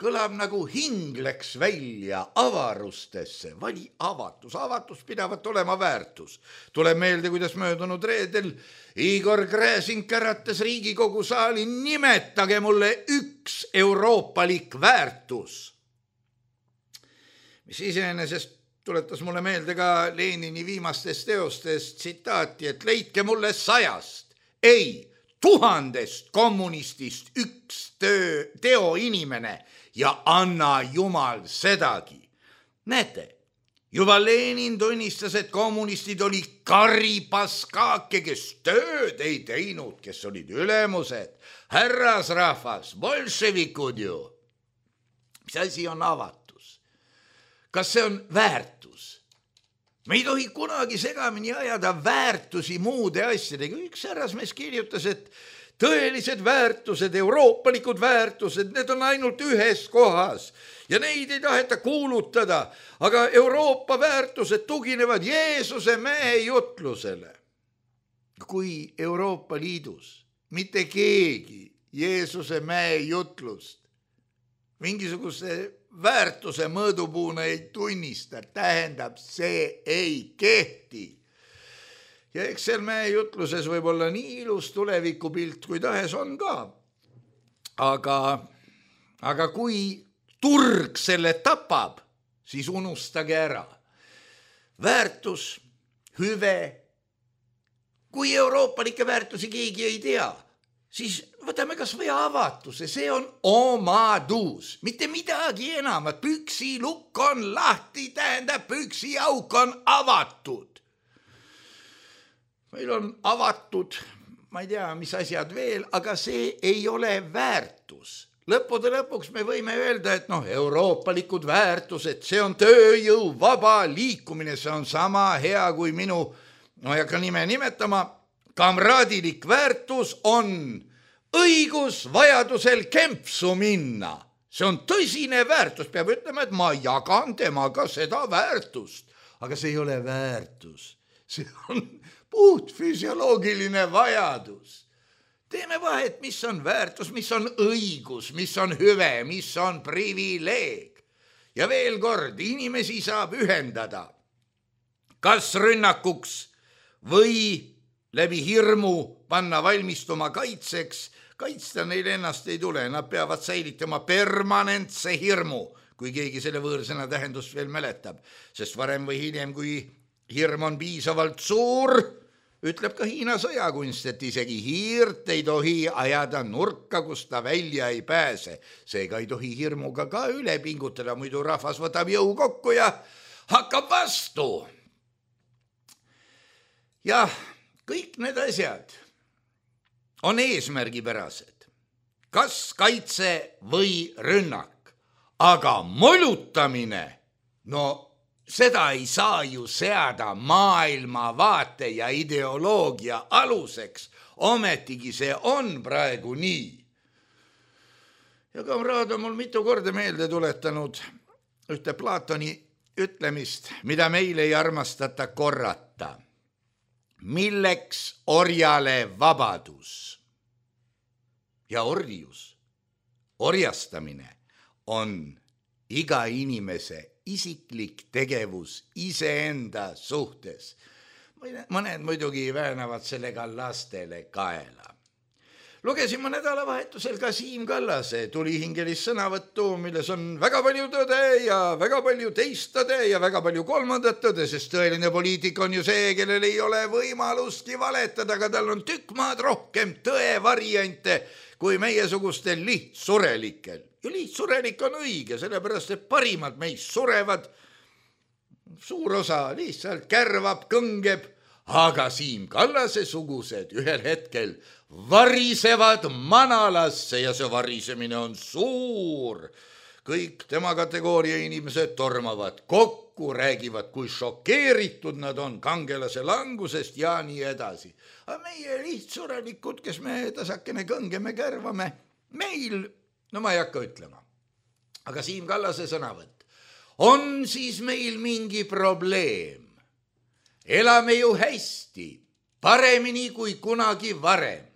C: Kõlab nagu hing läks välja avarustesse, vali avatus, avatus pidavat olema väärtus. Tuleb meelde, kuidas möödunud reedel Igor Gräzin käratas Riigikogu saali, nimetage mulle üks euroopalik väärtus. Mis iseenesest tuletas mulle meelde ka Lenini viimastest teostest tsitaati, et leidke mulle sajast, ei, tuhandest kommunistist üks töö, teo inimene ja anna Jumal sedagi. Näete, juba Lenin tunnistas, et kommunistid oli karipaskake, kes tööd ei teinud, kes olid ülemused, härrasrahvas, bolševikud ju. Mis asi on avatud? Kas see on väärtus? Me ei tohi kunagi segamini ajada väärtusi muude asjadega. Üks härrasmees kirjutas, et tõelised väärtused, euroopalikud väärtused, need on ainult ühes kohas ja neid ei taheta kuulutada, aga Euroopa väärtused tuginevad Jeesuse mehe jutlusele. Kui Euroopa Liidus mitte keegi Jeesuse mehe jutlust mingisuguse väärtuse mõõdupuuna ei tunnista, tähendab, see ei kehti. Ja eks seal meie jutluses võib olla nii ilus tulevikupilt, kui tahes on ka. Aga, aga kui turg selle tapab, siis unustage ära. Väärtus, hüve, kui euroopalike väärtusi keegi ei tea, siis võtame kas või avatuse, see on omadus, mitte midagi enamat. Püksi lukk on lahti, tähendab püksi auk on avatud. Meil on avatud, ma ei tea, mis asjad veel, aga see ei ole väärtus. Lõppude lõpuks me võime öelda, et noh, euroopalikud väärtused, see on tööjõu vaba liikumine, see on sama hea kui minu, no ei hakka nime nimetama, kamraadilik väärtus on õigus vajadusel kempsu minna. See on tõsine väärtus, peab ütlema, et ma jagan temaga seda väärtust, aga see ei ole väärtus, see on puht füsioloogiline vajadus. Teeme vahet, mis on väärtus, mis on õigus, mis on hüve, mis on privileeg. Ja veel kord, inimesi saab ühendada kas rünnakuks või läbi hirmu panna valmistuma kaitseks. Kaitsta neil ennast ei tule, nad peavad säilitama permanentse hirmu, kui keegi selle võõrsõna tähendust veel mäletab. Sest varem või hiljem, kui hirm on piisavalt suur, ütleb ka Hiina sõjakunst, et isegi hiirt ei tohi ajada nurka, kus ta välja ei pääse. Seega ei tohi hirmuga ka üle pingutada, muidu rahvas võtab jõu kokku ja hakkab vastu. Jah, kõik need asjad on eesmärgipärased, kas kaitse või rünnak, aga molutamine, no seda ei saa ju seada maailmavaate ja ideoloogia aluseks, ometigi see on praegu nii. Ja kamraad on mul mitu korda meelde tuletanud ühte Platoni ütlemist, mida meil ei armastata korrata. Milleks orjale vabadus ja orjus, orjastamine on iga inimese isiklik tegevus iseenda suhtes. Mõned muidugi väänavad sellega lastele kaela. Lugesin ma nädalavahetusel ka Siim Kallase tulihingelist sõnavõttu, milles on väga palju tõde ja väga palju teist tõde ja väga palju kolmandat tõde, sest tõeline poliitik on ju see, kellel ei ole võimalustki valetada, aga tal on tükk maad rohkem tõe variante kui meiesugustel lihtsurelikel. Ja lihtsurelik on õige, sellepärast et parimad meist surevad, suur osa lihtsalt kärvab, kõngeb, aga Siim Kallase sugused ühel hetkel varisevad manalasse ja see varisemine on suur. Kõik tema kategooria inimesed tormavad kokku, räägivad, kui šokeeritud nad on kangelase langusest ja nii edasi. Aga meie lihtsurelikud, kes me tasakene kõngeme, kärvame, meil, no ma ei hakka ütlema, aga Siim Kallase sõnavõtt, on siis meil mingi probleem. Elame ju hästi, paremini kui kunagi varem.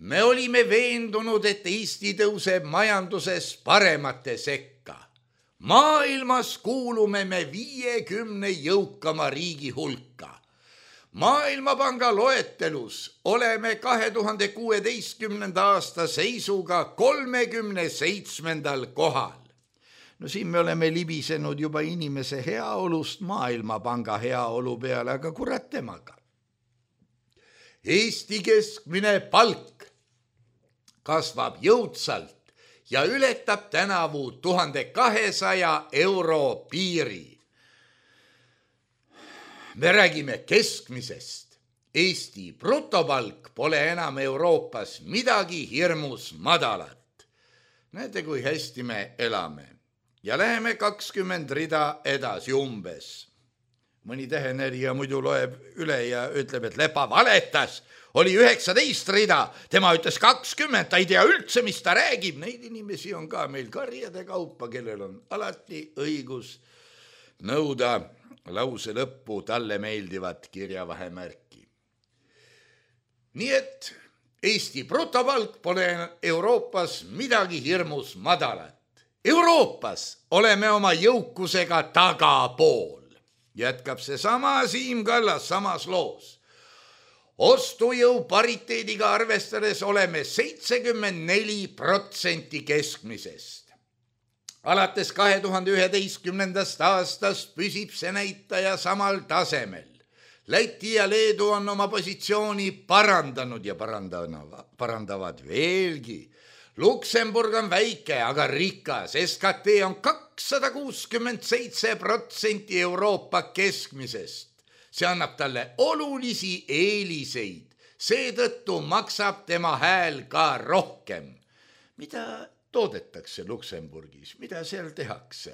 C: Me olime veendunud, et Eesti tõuseb majanduses paremate sekka. Maailmas kuulume me viiekümne jõukama riigi hulka. Maailmapanga loetelus oleme kahe tuhande kuueteistkümnenda aasta seisuga kolmekümne seitsmendal kohal. No siin me oleme libisenud juba inimese heaolust Maailmapanga heaolu peale, aga kurat temaga. Eesti keskmine palk kasvab jõudsalt ja ületab tänavu tuhande kahesaja euro piiri. Me räägime keskmisest. Eesti brutopalk pole enam Euroopas midagi hirmus madalat. Näete, kui hästi me elame. Ja läheme kakskümmend rida edasi umbes. Mõni tähenärija muidu loeb üle ja ütleb, et Lepa valetas. Oli üheksateist rida, tema ütles kakskümmend, ta ei tea üldse, mis ta räägib. Neid inimesi on ka meil karjade kaupa, kellel on alati õigus nõuda lause lõppu talle meeldivat kirjavahemärki. Nii et Eesti brutopalk pole Euroopas midagi hirmus madalat. Euroopas oleme oma jõukusega tagapool. Jätkab see sama Siim Kallas samas loos. Ostujõu pariteediga arvestades oleme seitsekümmend neli protsenti keskmisest. Alates kahe tuhande üheteistkümnendast aastast püsib see näitaja samal tasemel. Läti ja Leedu on oma positsiooni parandanud ja parandavad veelgi. Luksemburg on väike, aga rikas. S K T on kakssada kuuskümmend seitse protsenti Euroopa keskmisest. See annab talle olulisi eeliseid. Seetõttu maksab tema hääl ka rohkem. Mida toodetakse Luksemburgis? Mida seal tehakse?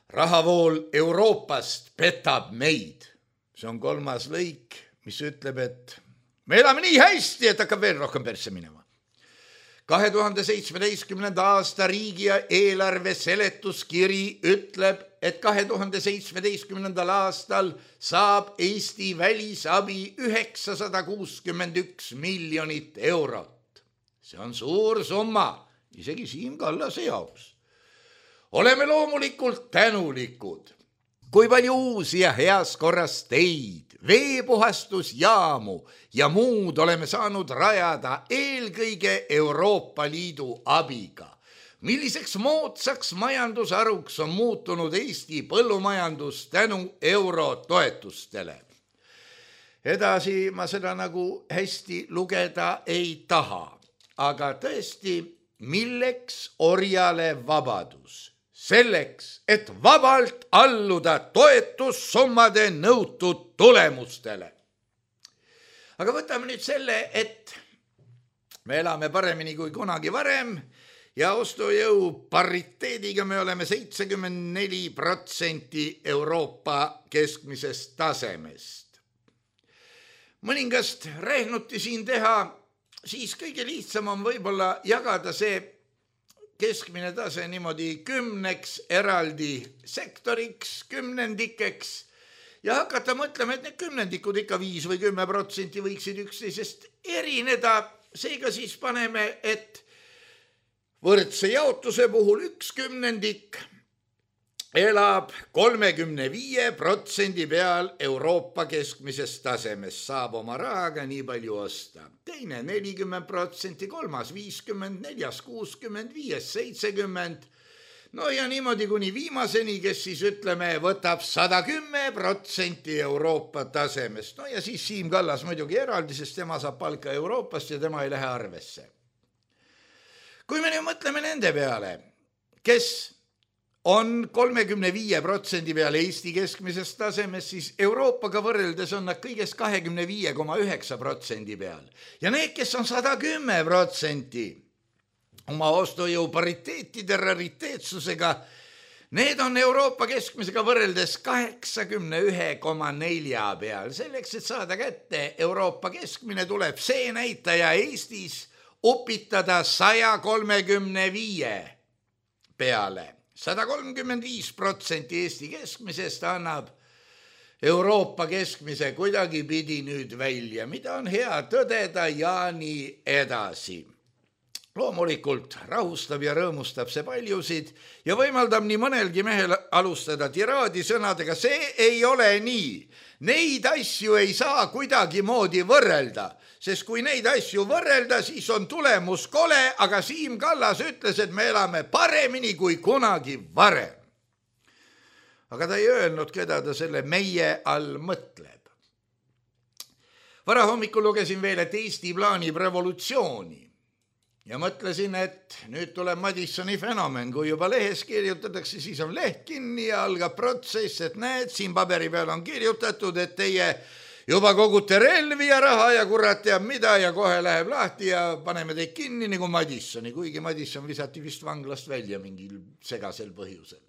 C: Rahavool Euroopast petab meid. See on kolmas lõik mis ütleb, et me elame nii hästi, et hakkab veel rohkem persse minema. kahe tuhande seitsmeteistkümnenda aasta riigi eelarve seletuskiri ütleb, et kahe tuhande seitsmeteistkümnendal aastal saab Eesti välisabi üheksasada kuuskümmend üks miljonit eurot. See on suur summa, isegi Siim Kallase jaoks. Oleme loomulikult tänulikud. Kui palju uusi ja heas korras teid, veepuhastusjaamu ja muud oleme saanud rajada eelkõige Euroopa Liidu abiga. Milliseks moodsaks majandusharuks on muutunud Eesti põllumajandus tänu eurotoetustele? Edasi ma seda nagu hästi lugeda ei taha, aga tõesti, milleks orjale vabadus? Selleks, et vabalt alluda toetussummade nõutud tulemustele. Aga võtame nüüd selle, et me elame paremini kui kunagi varem ja ostujõu pariteediga me oleme seitsekümmend neli protsenti Euroopa keskmisest tasemest. Mõningast rehnuti siin teha, siis kõige lihtsam on võib-olla jagada see keskmine tase niimoodi kümneks eraldi sektoriks, kümnendikeks ja hakata mõtlema, et need kümnendikud ikka viis või kümme protsenti võiksid üksteisest erineda. Seega siis paneme, et võrdse jaotuse puhul üks kümnendik elab kolmekümne viie protsendi peal Euroopa keskmisest tasemest, saab oma rahaga nii palju osta. Teine nelikümmend protsenti, kolmas viiskümmend, neljas kuuskümmend, viies seitsekümmend. No ja niimoodi kuni viimaseni, kes siis ütleme, võtab sada kümme protsenti Euroopa tasemest. No ja siis Siim Kallas muidugi eraldi, sest tema saab palka Euroopast ja tema ei lähe arvesse. Kui me nüüd mõtleme nende peale, kes on kolmekümne viie protsendi peale Eesti keskmisest tasemest, siis Euroopaga võrreldes on nad kõigest kahekümne viie koma üheksa protsendi peal. Ja need, kes on sada kümme protsenti oma ostujõu pariteetide rariteetsusega, need on Euroopa keskmisega võrreldes kaheksakümne ühe koma nelja peal. Selleks, et saada kätte Euroopa keskmine, tuleb see näitaja Eestis upitada sada kolmekümne viie peale. sada kolmkümmend viis protsenti Eesti keskmisest annab Euroopa keskmise kuidagi pidi nüüd välja, mida on hea tõdeda ja nii edasi. Loomulikult rahustab ja rõõmustab see paljusid ja võimaldab nii mõnelgi mehel alustada tiraadi sõnadega, see ei ole nii. Neid asju ei saa kuidagi moodi võrrelda, sest kui neid asju võrrelda, siis on tulemus kole, aga Siim Kallas ütles, et me elame paremini kui kunagi varem. Aga ta ei öelnud, keda ta selle meie all mõtleb. Varahommikul lugesin veel, et Eesti plaanib revolutsiooni. Ja mõtlesin, et nüüd tuleb Madissoni fenomen, kui juba lehes kirjutatakse, siis on leht kinni ja algab protsess, et näed, siin paberi peal on kirjutatud, et teie juba kogute relvi ja raha ja kurat teab mida ja kohe läheb lahti ja paneme teid kinni nagu Madissoni, kuigi Madisson visati vist vanglast välja mingil segasel põhjusel.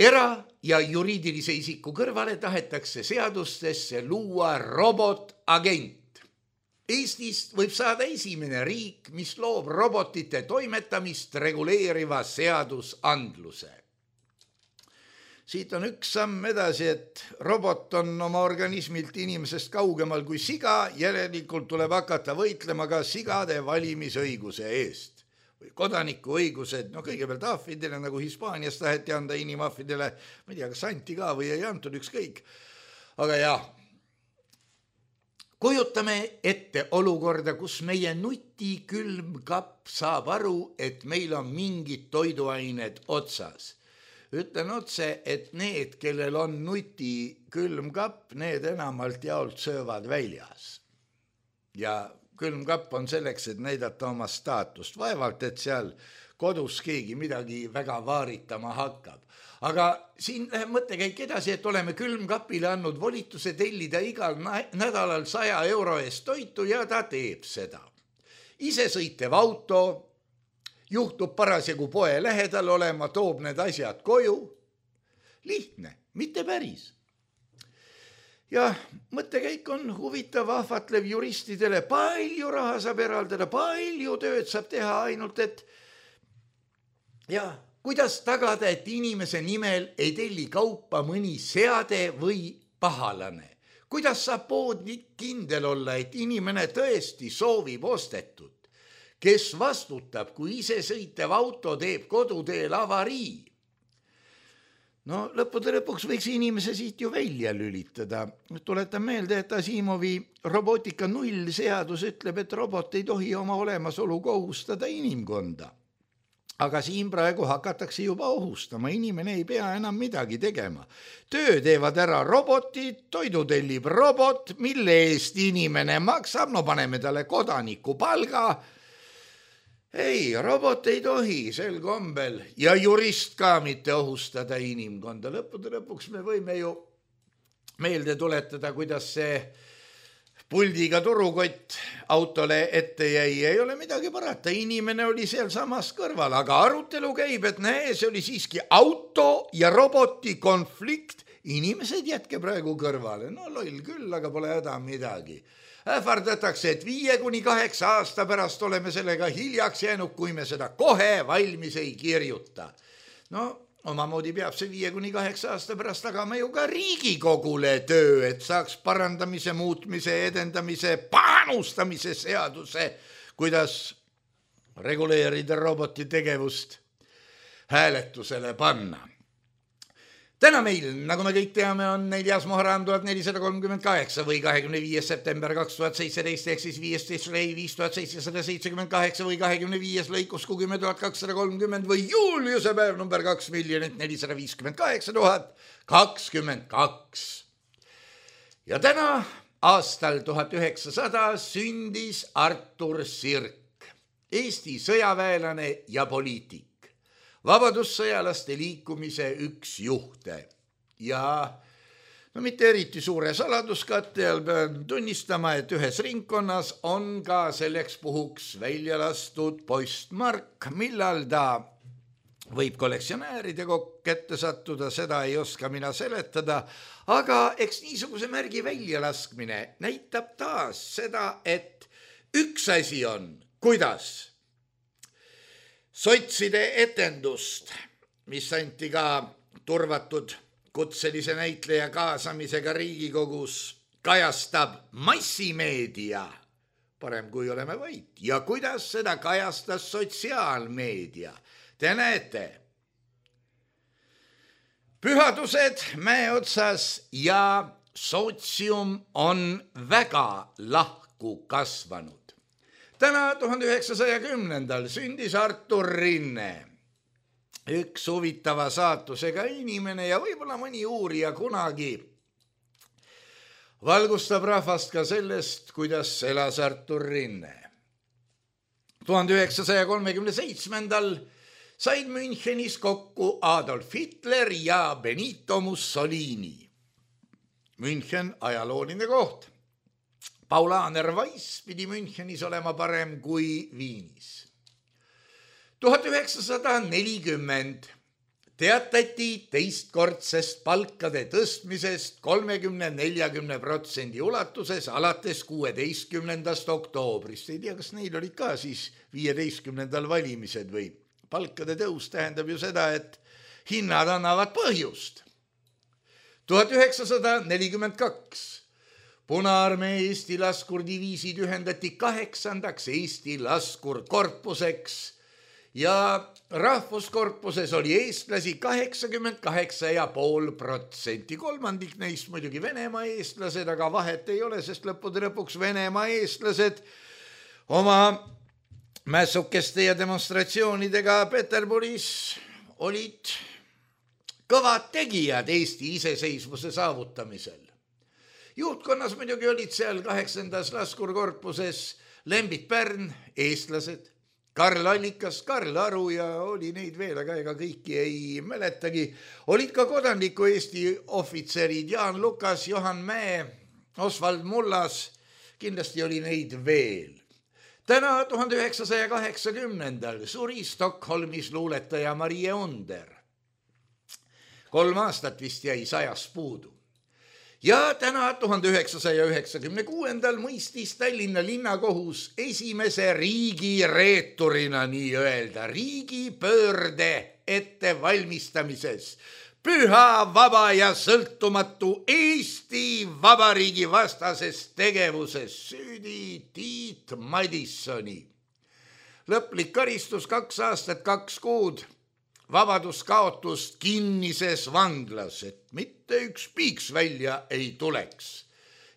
C: Era- ja juriidilise isiku kõrvale tahetakse seadustesse luua robotagent. Eestist võib saada esimene riik, mis loob robotite toimetamist reguleeriva seadusandluse. Siit on üks samm edasi, et robot on oma organismilt inimesest kaugemal kui siga, järelikult tuleb hakata võitlema ka sigade valimisõiguse eest. Või kodanikuõigused, no kõigepealt ahvidele, nagu Hispaanias taheti anda inimahvidele, ma ei tea, kas anti ka või ei antud ükskõik. Aga jah, kujutame ette olukorda, kus meie nutikülmkapp saab aru, et meil on mingid toiduained otsas. Ütlen otse, et need, kellel on nutikülmkapp, need enamalt jaolt söövad väljas. Ja külmkapp on selleks, et näidata oma staatust. Vaevalt, et seal kodus keegi midagi väga vaaritama hakkab. Aga siin läheb mõttekäik edasi, et oleme külmkapile andnud volituse tellida igal nädalal saja euro eest toitu ja ta teeb seda. Ise sõitev auto, juhtub parasjagu poe lähedal olema, toob need asjad koju. Lihtne, mitte päris. ja mõttekäik on huvitav, ahvatlev juristidele, palju raha saab eraldada, palju tööd saab teha, ainult et ja kuidas tagada, et inimese nimel ei telli kaupa mõni seade või pahalane? Kuidas saab poodnik kindel olla, et inimene tõesti soovib ostetud? Kes vastutab, kui isesõitev auto teeb koduteel avarii? No lõppude lõpuks võiks inimese siit ju välja lülitada. Tuletan meelde, et Asimovi robotika null seadus ütleb, et robot ei tohi oma olemasolu kohustada inimkonda. Aga siin praegu hakatakse juba ohustama, inimene ei pea enam midagi tegema. Töö teevad ära robotid, toidu tellib robot, mille eest inimene maksab, no paneme talle kodaniku palga. Ei, robot ei tohi sel kombel ja jurist ka mitte ohustada inimkonda. Lõppude lõpuks me võime ju meelde tuletada, kuidas see puldiga turukott autole ette jäi, ei ole midagi parata, inimene oli seal samas kõrval, aga arutelu käib, et näe, see oli siiski auto ja roboti konflikt, inimesed jätke praegu kõrvale, no loll küll, aga pole häda midagi. Ähvardatakse, et viie kuni kaheksa aasta pärast oleme sellega hiljaks jäänud, kui me seda kohe valmis ei kirjuta. No omamoodi peab see viie kuni kaheksa aasta pärast tagama ju ka Riigikogule töö, et saaks parandamise, muutmise, edendamise, panustamise seaduse, kuidas reguleerida roboti tegevust hääletusele panna. Täna meil, nagu me kõik teame, on neljas Muharram tuhat nelisada kolmkümmend kaheksa või kahekümne viies september kaks tuhat seitseteist ehk siis viisteist rei viis tuhat seitsesada seitsekümmend kaheksa või kahekümne viies lõikus kümme tuhat kakssada kolmkümmend või Juliuse päev number kaks miljonit nelisada viiskümmend kaheksa tuhat kakskümmend kaks. Ja täna aastal tuhat üheksasada sündis Artur Sirk, Eesti sõjaväelane ja poliitik. Vabadussõjalaste liikumise üks juhte ja no mitte eriti suure saladuskatte all pean tunnistama, et ühes ringkonnas on ka selleks puhuks välja lastud postmark, millal ta võib kollektsionääride kätte sattuda, seda ei oska mina seletada, aga eks niisuguse märgi väljalaskmine näitab taas seda, et üks asi on, kuidas sotside etendust, mis anti ka turvatud kutselise näitleja kaasamisega Riigikogus, kajastab massimeedia, parem kui oleme vait, ja kuidas seda kajastas sotsiaalmeedia. Te näete, pühadused mäe otsas ja sotsium on väga lahku kasvanud. Täna tuhande üheksasaja kümnendal sündis Artur Rinne, üks huvitava saatusega inimene ja võib-olla mõni uurija kunagi valgustab rahvast ka sellest, kuidas elas Artur Rinne. tuhande üheksasaja kolmekümne seitsmendal said Münchenis kokku Adolf Hitler ja Benito Mussolini. München ajalooline koht. Paulaner Weiss pidi Münchenis olema parem kui Viinis. tuhat üheksasada nelikümmend teatati teistkordsest palkade tõstmisest kolmekümne neljakümne protsendi ulatuses alates kuueteistkümnendast oktoobrist. Ei tea, kas neil olid ka siis viieteistkümnendal valimised või? Palkade tõus tähendab ju seda, et hinnad annavad põhjust. tuhat üheksasada nelikümmend kaks Punaarmee Eesti laskurdiviisid ühendati kaheksandaks Eesti laskurkorpuseks ja rahvuskorpuses oli eestlasi kaheksakümmend kaheksa ja pool protsenti. Kolmandik neist muidugi Venemaa eestlased, aga vahet ei ole, sest lõppude lõpuks Venemaa eestlased oma mässukeste ja demonstratsioonidega Peterburis olid kõvad tegijad Eesti iseseisvuse saavutamisel. Juhtkonnas muidugi olid seal kaheksandas laskurkorpuses Lembit Pärn, eestlased, Karl Allikas, Karl Aru ja oli neid veel, aga ega kõiki ei mäletagi. Olid ka kodanliku Eesti ohvitserid Jaan Lukas, Johan Mäe, Osvald Mullas, kindlasti oli neid veel. Täna tuhande üheksasaja kaheksakümnendal suri Stockholmis luuletaja Marie Onder. Kolm aastat vist jäi sajas puudu. ja täna tuhande üheksasaja üheksakümne kuuendal mõistis Tallinna linnakohus esimese riigireeturina nii-öelda riigipöörde ettevalmistamises püha, vaba ja sõltumatu Eesti Vabariigi vastases tegevuses süüdi Tiit Madissoni. Lõplik karistus kaks aastat, kaks kuud, vabaduskaotust kinnises vanglas, et mitte üks piiks välja ei tuleks.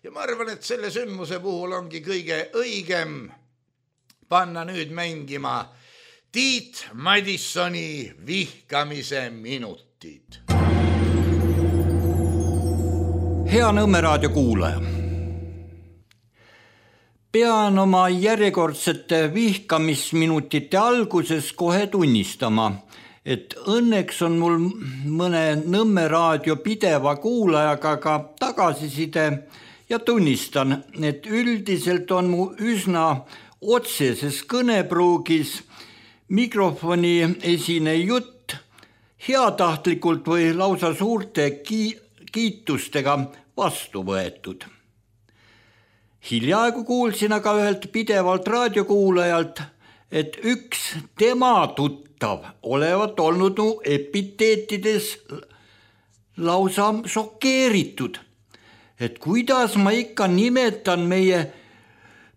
C: Ja ma arvan, et selle sündmuse puhul ongi kõige õigem panna nüüd mängima Tiit Madissoni vihkamise minutid.
D: Hea Nõmme raadio kuulaja. Pean oma järjekordsete vihkamisminutite alguses kohe tunnistama, et õnneks on mul mõne Nõmme raadio pideva kuulajaga ka tagasiside ja tunnistan, et üldiselt on mu üsna otseses kõnepruugis mikrofoni esine jutt heatahtlikult või lausa suurte ki- kiitustega vastu võetud. Hiljaaegu kuulsin aga ühelt pidevalt raadiokuulajalt, et üks tema tuttav olevat olnud mu epiteetides lausa šokeeritud, et kuidas ma ikka nimetan meie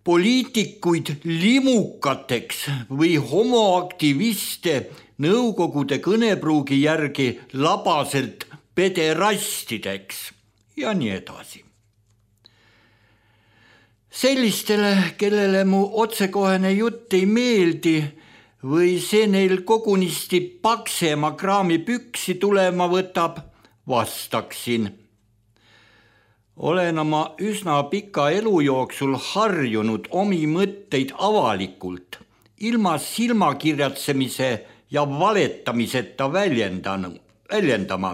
D: poliitikuid limukateks või homoaktiviste nõukogude kõnepruugi järgi labaselt pederastideks ja nii edasi. Sellistele, kellele mu otsekohene jutt ei meeldi või see neil kogunisti paksema kraami püksi tulema võtab, vastaksin. Olen oma üsna pika elu jooksul harjunud omi mõtteid avalikult, ilma silmakirjatsemise ja valetamiseta väljendama.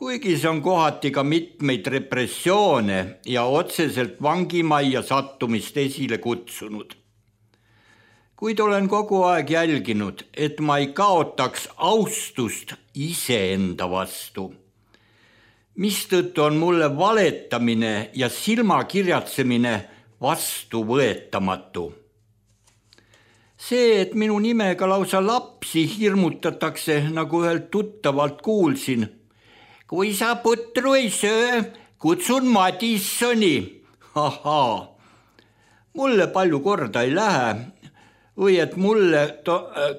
D: Kuigi see on kohati ka mitmeid repressioone ja otseselt vangimajja sattumist esile kutsunud. Kuid olen kogu aeg jälginud, et ma ei kaotaks austust iseenda vastu. Mistõttu on mulle valetamine ja silmakirjatsemine vastuvõetamatu. See, et minu nimega lausa lapsi hirmutatakse, nagu ühelt tuttavalt kuulsin, kui sa putru ei söö, kutsun Madissoni. Ahaa, mulle palju korda ei lähe või et mulle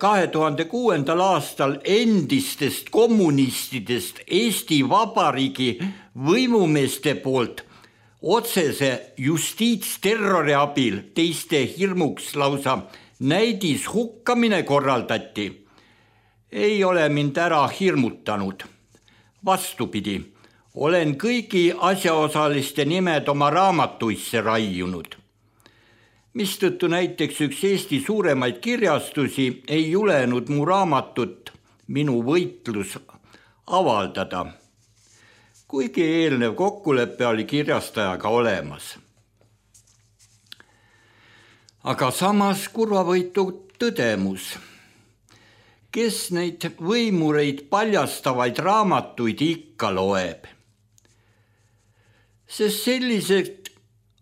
D: kahe tuhande kuuendal aastal endistest kommunistidest Eesti Vabariigi võimumeeste poolt otsese justiitsterrori abil teiste hirmuks lausa näidis hukkamine korraldati, ei ole mind ära hirmutanud. Vastupidi, olen kõigi asjaosaliste nimed oma raamatuisse raiunud. Mistõttu näiteks üks Eesti suuremaid kirjastusi ei julenud mu raamatut Minu võitlus avaldada, kuigi eelnev kokkulepe oli kirjastajaga olemas. Aga samas kurvavõitu tõdemus. Kes neid võimureid paljastavaid raamatuid ikka loeb? Sest sellised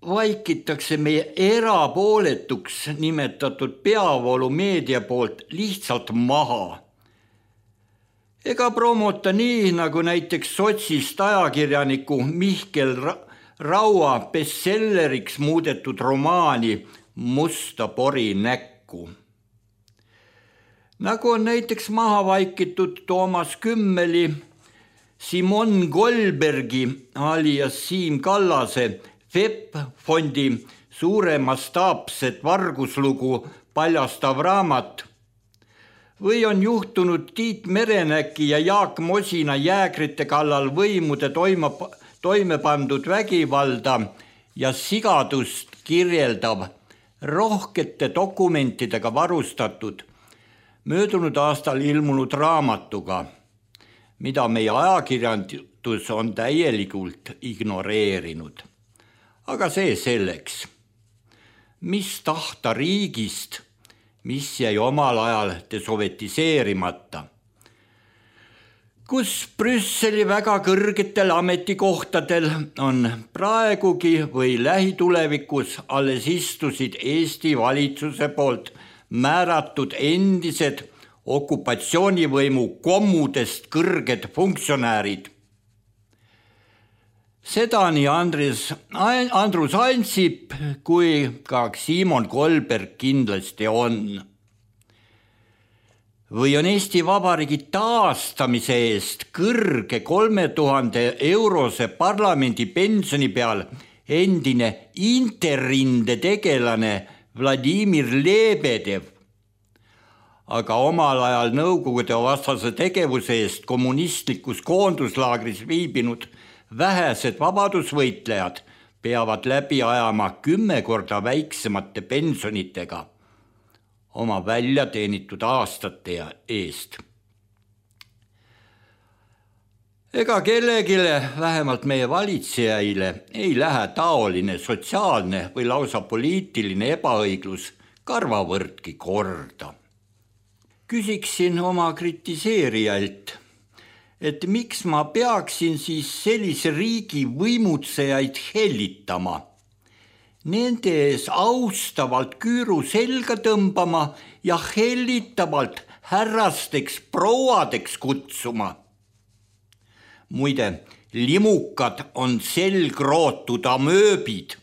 D: vaikitakse meie erapooletuks nimetatud peavoolu meedia poolt lihtsalt maha. Ega promota nii, nagu näiteks sotsist ajakirjaniku Mihkel Raua bestselleriks muudetud romaani Musta pori näkku. Nagu on näiteks maha vaikitud Toomas Kümmeli, Simon Goldbergi alias Siim Kallase V E P-fondi suuremastaapset varguslugu paljastav raamat või on juhtunud Tiit Merenäki ja Jaak Mosina jäägrite kallal võimude toime, toime pandud vägivalda ja sigadust kirjeldav rohkete dokumentidega varustatud möödunud aastal ilmunud raamatuga, mida meie ajakirjandus on täielikult ignoreerinud. Aga see selleks. Mis tahta riigist, mis jäi omal ajal desovetiseerimata? kus Brüsseli väga kõrgetel ametikohtadel on praegugi või lähitulevikus alles istusid Eesti valitsuse poolt määratud endised okupatsioonivõimu kommudest kõrged funktsionäärid. Seda nii Andres, Andrus Ansip kui ka Siimon Kolberg kindlasti on. Või on Eesti Vabariigi taastamise eest kõrge kolme tuhande eurose parlamendi pensioni peal endine Interrinde tegelane Vladimir Lebedev, aga omal ajal Nõukogude vastase tegevuse eest kommunistlikus koonduslaagris viibinud vähesed vabadusvõitlejad peavad läbi ajama kümme korda väiksemate pensionitega oma välja teenitud aastate eest. Ega kellegile, vähemalt meie valitsejaile, ei lähe taoline sotsiaalne või lausa poliitiline ebaõiglus karvavõrdki korda. Küsiksin oma kritiseerijalt, et miks ma peaksin siis sellise riigi võimutsejaid hellitama, nende ees austavalt küüru selga tõmbama ja hellitavalt härrasteks prouadeks kutsuma. Muide, limukad on selgrootud amööbid,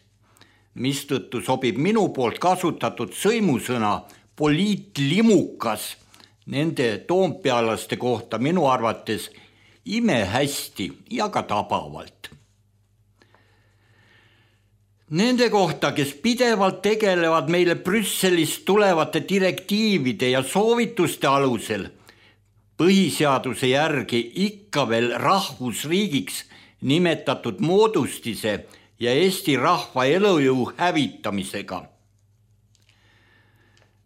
D: mistõttu sobib minu poolt kasutatud sõimusõna poliitlimukas nende toompealaste kohta minu arvates imehästi ja ka tabavalt. Nende kohta, kes pidevalt tegelevad meile Brüsselist tulevate direktiivide ja soovituste alusel põhiseaduse järgi ikka veel rahvusriigiks nimetatud moodustise ja Eesti rahva elujõu hävitamisega.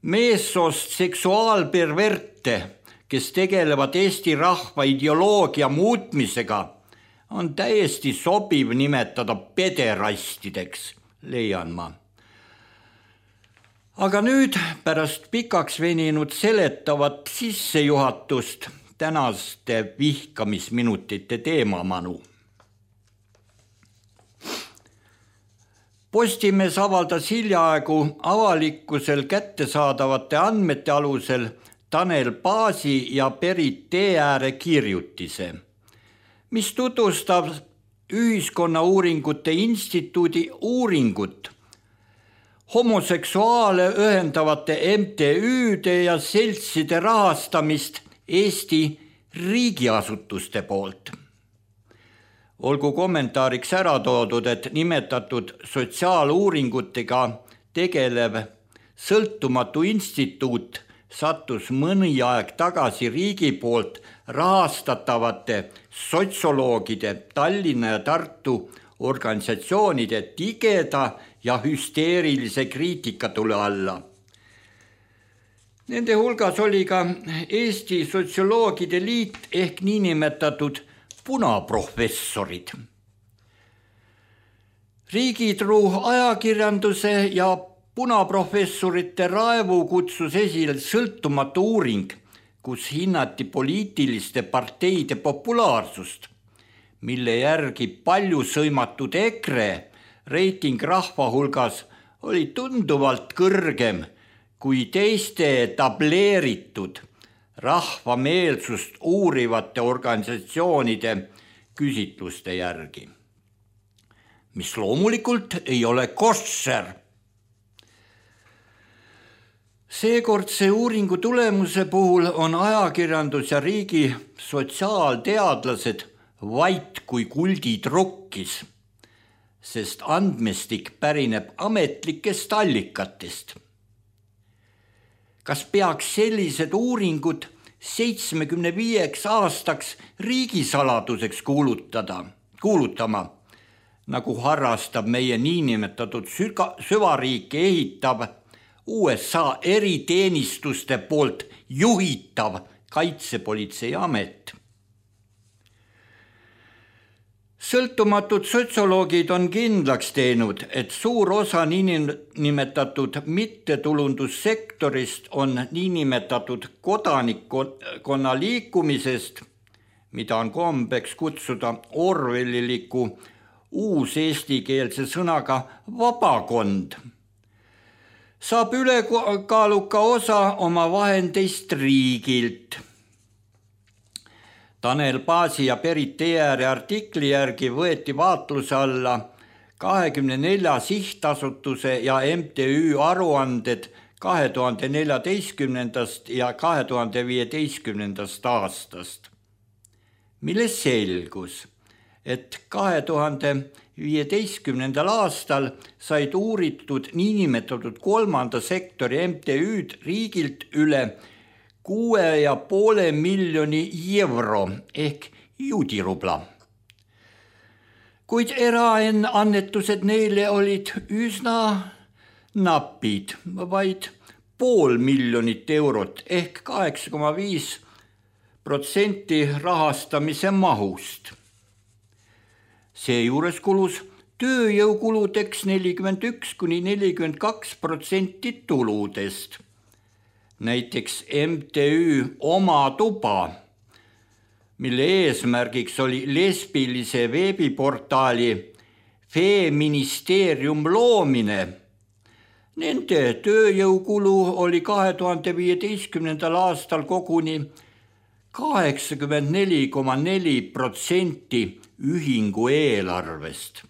D: Meessoost seksuaalperverte, kes tegelevad Eesti rahva ideoloogia muutmisega, on täiesti sobiv nimetada pederastideks, leian ma. Aga nüüd pärast pikaks veninud seletavat sissejuhatust tänaste vihkamisminutite teemamanu. Postimees avaldas hiljaaegu avalikkusel kättesaadavate andmete alusel Tanel Paasi ja Berit Teeääre kirjutise, mis tutvustab Ühiskonnauuringute Instituudi uuringut homoseksuaale ühendavate M T Üde ja seltside rahastamist Eesti riigiasutuste poolt. Olgu kommentaariks ära toodud, et nimetatud sotsiaaluuringutega tegelev sõltumatu instituut sattus mõni aeg tagasi riigi poolt rahastatavate sotsioloogide Tallinna ja Tartu organisatsioonide tigeda ja hüsteerilise kriitikatule alla. Nende hulgas oli ka Eesti Sotsioloogide Liit ehk niinimetatud punaprofessorid. Riigitruu ajakirjanduse ja punaprofessorite raevu kutsus esile sõltumatu uuring, kus hinnati poliitiliste parteide populaarsust, mille järgi palju sõimatud EKRE reiting rahva hulgas oli tunduvalt kõrgem kui teiste tableeritud rahva meelsust uurivate organisatsioonide küsitluste järgi, mis loomulikult ei ole koššer. Seekordse uuringu tulemuse puhul on ajakirjandus ja riigi sotsiaalteadlased vait kui kuldid rukkis, sest andmestik pärineb ametlikest allikatest. Kas peaks sellised uuringud seitsmekümne viieks aastaks riigisaladuseks kuulutada, kuulutama, nagu harrastab meie niinimetatud süvariiki ehitav U S A eriteenistuste poolt juhitav kaitsepolitsei amet? Sõltumatud sotsioloogid on kindlaks teinud, et suur osa niinimetatud mittetulundussektorist on niinimetatud kodanikkonna liikumisest, mida on kombeks kutsuda orwelliliku uus eestikeelse sõnaga vabakond, saab ülekaaluka osa oma vahendeist riigilt. Tanel Paasi ja Berit Teeri artikli järgi võeti vaatluse alla kahekümne nelja sihtasutuse ja M T Ü aruanded kahe tuhande neljateistkümnendast ja kahe tuhande viieteistkümnendast aastast, milles selgus, et kahe tuhande viieteistkümnendal aastal said uuritud niinimetatud kolmanda sektori M T Ü-d riigilt üle kuue ja poole miljoni euro ehk juudirubla. Kuid eraannetused neile olid üsna napid, vaid pool miljonit eurot ehk kaheksa koma viis protsenti rahastamise mahust. Seejuures kulus tööjõukuludeks nelikümmend üks kuni nelikümmend kaks protsenti tuludest. Näiteks M T Ü Oma tuba, mille eesmärgiks oli lesbilise veebiportaali Feministeerium loomine. Nende tööjõukulu oli kahe tuhande viieteistkümnendal aastal koguni kaheksakümmend neli koma neli protsenti ühingu eelarvest.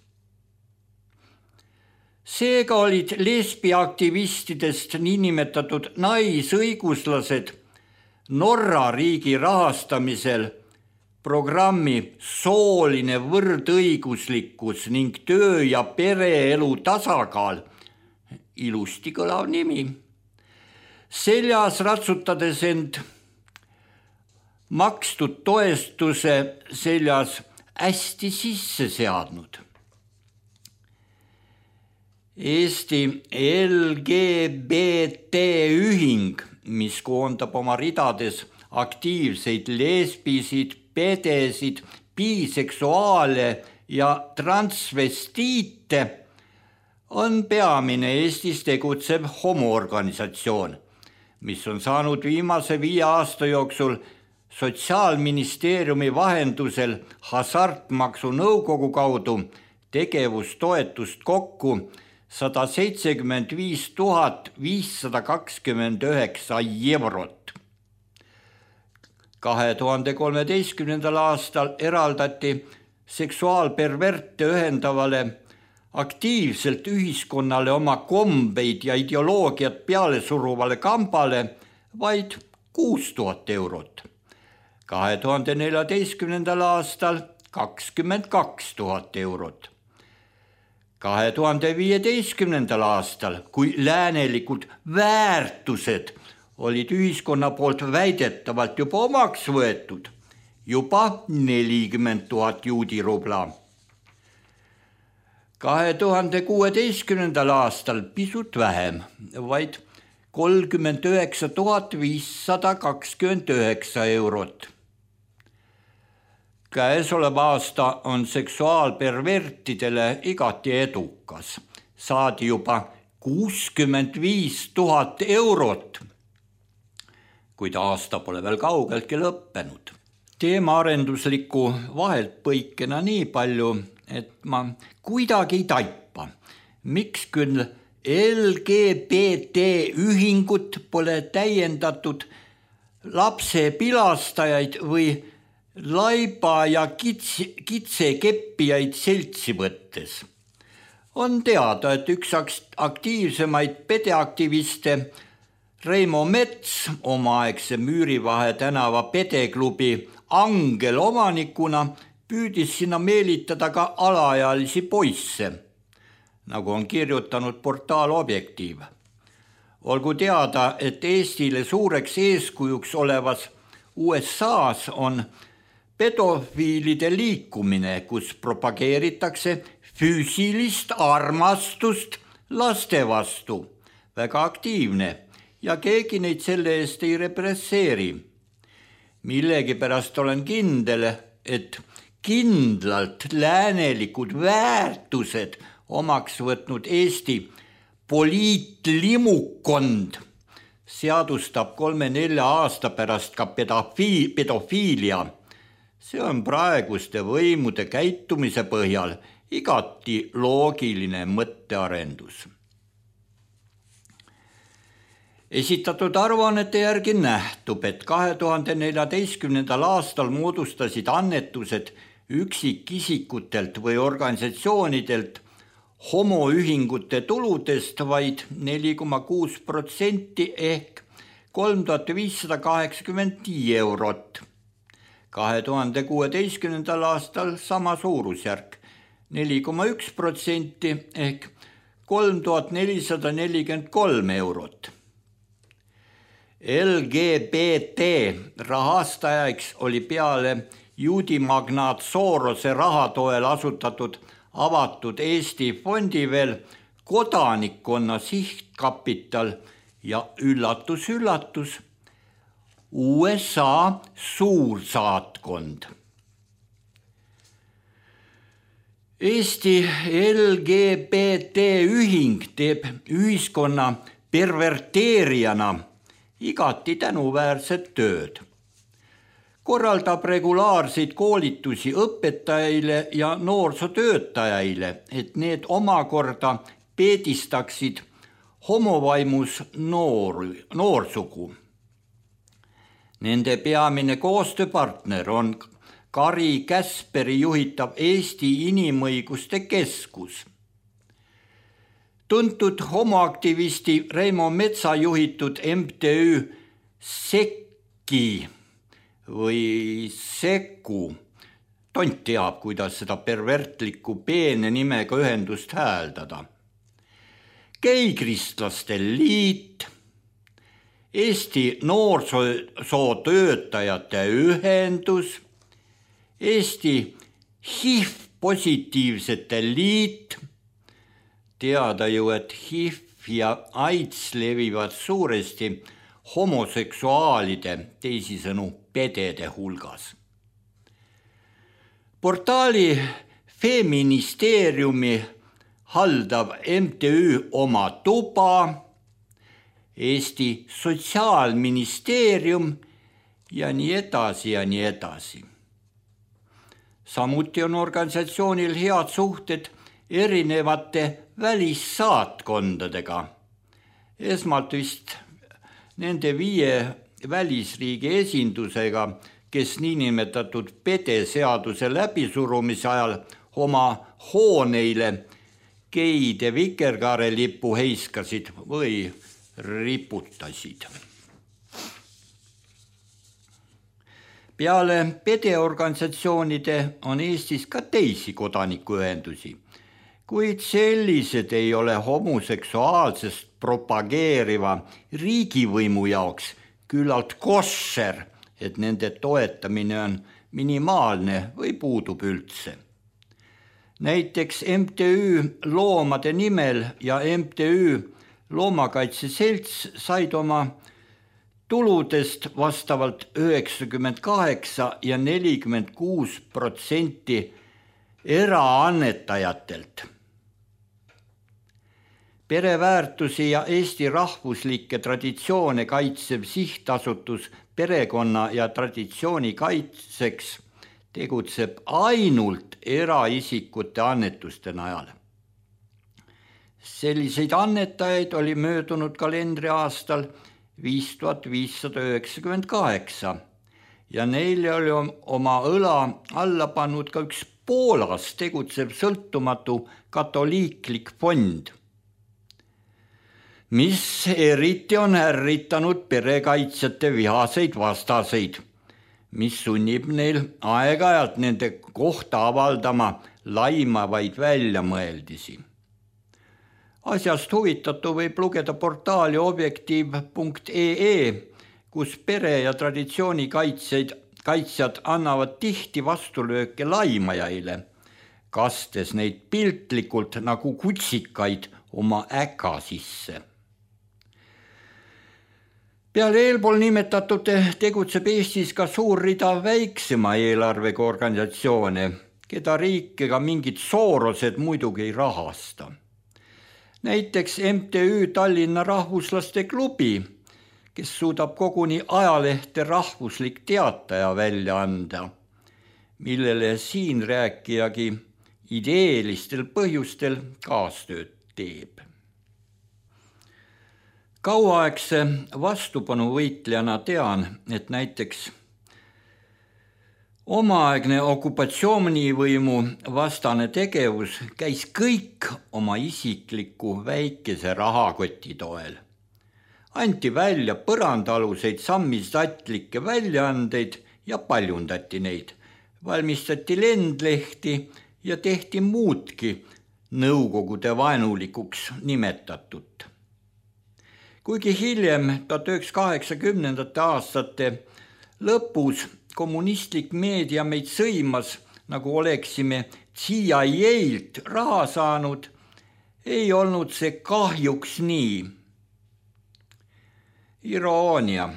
D: Seega olid lesbiaktivistidest niinimetatud naisõiguslased Norra riigi rahastamisel programmi Sooline võrdõiguslikkus ning töö- ja pereelu tasakaal, ilusti kõlav nimi, seljas ratsutades end makstud toestuse seljas hästi sisse seadnud. Eesti L G B T ühing, mis koondab oma ridades aktiivseid lesbisid, pedesid, biseksuaale ja transvestiite, on peamine Eestis tegutsev homoorganisatsioon, mis on saanud viimase viie aasta jooksul Sotsiaalministeeriumi vahendusel Hasartmaksu Nõukogu kaudu tegevustoetust kokku sada seitsekümmend viis tuhat viissada kakskümmend üheksa eurot. kahe tuhande kolmeteistkümnendal aastal eraldati seksuaalperverte ühendavale aktiivselt ühiskonnale oma kombeid ja ideoloogiat peale suruvale kambale vaid kuus tuhat eurot. kahe tuhande neljateistkümnendal aastal kakskümmend kaks tuhat eurot. kahe tuhande viieteistkümnendal aastal, kui läänelikud väärtused olid ühiskonna poolt väidetavalt juba omaks võetud, juba nelikümmend tuhat juudirubla. kahe tuhande kuueteistkümnendal aastal pisut vähem, vaid kolmkümmend üheksa tuhat viissada kakskümmend üheksa eurot. Käesolev aasta on seksuaalpervertidele igati edukas. Saadi juba kuuskümmend viis tuhat eurot, kuid aasta pole veel kaugeltki lõppenud. Teemaarendusliku vahelt põikena nii palju, et ma kuidagi ei taipa, miks küll L G B T ühingut pole täiendatud lapse pilastajaid või laiba ja kitse, kitsekeppijaid seltsi võttes. On teada, et üks aktiivsemaid pedeaktiviste Reimo Mets omaaegse Müürivahe tänava pedeklubi Angel omanikuna püüdis sinna meelitada ka alaealisi poisse, nagu on kirjutanud portaal Objektiiv. Olgu teada, et Eestile suureks eeskujuks olevas U S A-s on pedofiilide liikumine, kus propageeritakse füüsilist armastust laste vastu. Väga aktiivne ja keegi neid selle eest ei represseeri. Millegipärast olen kindel, et kindlalt läänelikud väärtused omaks võtnud Eesti poliitlimukond seadustab kolme-nelja aasta pärast ka pedofiilia, See on praeguste võimude käitumise põhjal igati loogiline mõttearendus. Esitatud aruannete järgi nähtub, et kahe tuhande neljateistkümnendal aastal moodustasid annetused üksikisikutelt või organisatsioonidelt homoühingute tuludest vaid neli koma kuus protsenti ehk kolm tuhat viissada kaheksakümmend eurot. kahe tuhande kuueteistkümnendal aastal sama suurusjärk neli koma üks protsenti ehk kolm tuhat nelisada nelikümmend kolm eurot. L G B T rahastajaks oli peale juudimagnaat Sorose rahatoel asutatud avatud Eesti fondi veel kodanikkonna sihtkapital ja üllatus, üllatus, U S A suursaatkond. Eesti L G B T ühing teeb ühiskonna perverteerijana igati tänuväärset tööd. Korraldab regulaarseid koolitusi õpetajaile ja noorsootöötajaile, et need omakorda peedistaksid homovaimus noor, noorsugu. Nende peamine koostööpartner on Kari Käsperi juhitav Eesti Inimõiguste Keskus. Tuntud homoaktivisti Reimo Metsa juhitud M T Ü Sekki või Sekku, tont teab, kuidas seda pervertlikku peene nimega ühendust hääldada. Geikristlaste liit, Eesti noorsootöötajate ühendus, Eesti H I V-positiivsete liit, teada ju, et H I V ja AIDS levivad suuresti homoseksuaalide, teisisõnu pedede hulgas. Portaali Feministeeriumi haldav M T Ü Oma Tuba, Eesti Sotsiaalministeerium ja nii edasi ja nii edasi. Samuti on organisatsioonil head suhted erinevate välissaatkondadega. Esmalt vist nende viie välisriigi esindusega, kes niinimetatud pedeseaduse läbisurumise ajal oma hooneile geide vikerkaare lipu heiskasid või riputasid. Peale pedeorganisatsioonide on Eestis ka teisi kodanikuühendusi, kuid sellised ei ole homoseksuaalsest propageeriva riigivõimu jaoks küllalt kosher, et nende toetamine on minimaalne või puudub üldse. Näiteks M T Ü Loomade nimel ja M T Ü Loomakaitse Selts said oma tuludest vastavalt üheksakümmend kaheksa ja nelikümmend kuus protsenti eraannetajatelt. Pereväärtusi ja Eesti rahvuslikke traditsioone kaitsev sihtasutus perekonna ja traditsiooni kaitseks tegutseb ainult eraisikute annetuste najal. Selliseid annetajaid oli möödunud kalendriaastal viis tuhat viissada üheksakümmend kaheksa ja neile oli oma õla alla pannud ka üks Poolas tegutsev sõltumatu katoliiklik fond, mis eriti on ärritanud perekaitsjate vihaseid vastaseid, mis sunnib neil aeg-ajalt nende kohta avaldama laimavaid väljamõeldisi. Asjast huvitatu võib lugeda portaali objektiiv punkt ee, kus pere- ja traditsioonikaitsjad kaitsjad annavad tihti vastulööke laimajaile, kastes neid piltlikult nagu kutsikaid oma äka sisse. Peale eelpool nimetatud tegutseb Eestis ka suur rida väiksema eelarvega organisatsioone, keda riik ega mingid Sorosed muidugi ei rahasta. Näiteks M T Ü Tallinna Rahvuslaste Klubi, kes suudab koguni ajalehte Rahvuslik Teataja välja anda millele siin rääkijagi ideelistel põhjustel kaastööd teeb. Kauaaegse vastupanuvõitlejana tean, et näiteks omaaegne okupatsioonivõimu vastane tegevus käis kõik oma isikliku väikese rahakoti toel. Anti välja põrandaluseid sammistatlikke väljaandeid ja paljundati neid, valmistati lendlehti ja tehti muudki nõukogude vaenulikuks nimetatut. Kuigi hiljem tuhat üheksasada kaheksakümnendate aastate lõpus kommunistlik meedia meid sõimas, nagu oleksime C I A-lt raha saanud, ei olnud see kahjuks nii. Iroonia.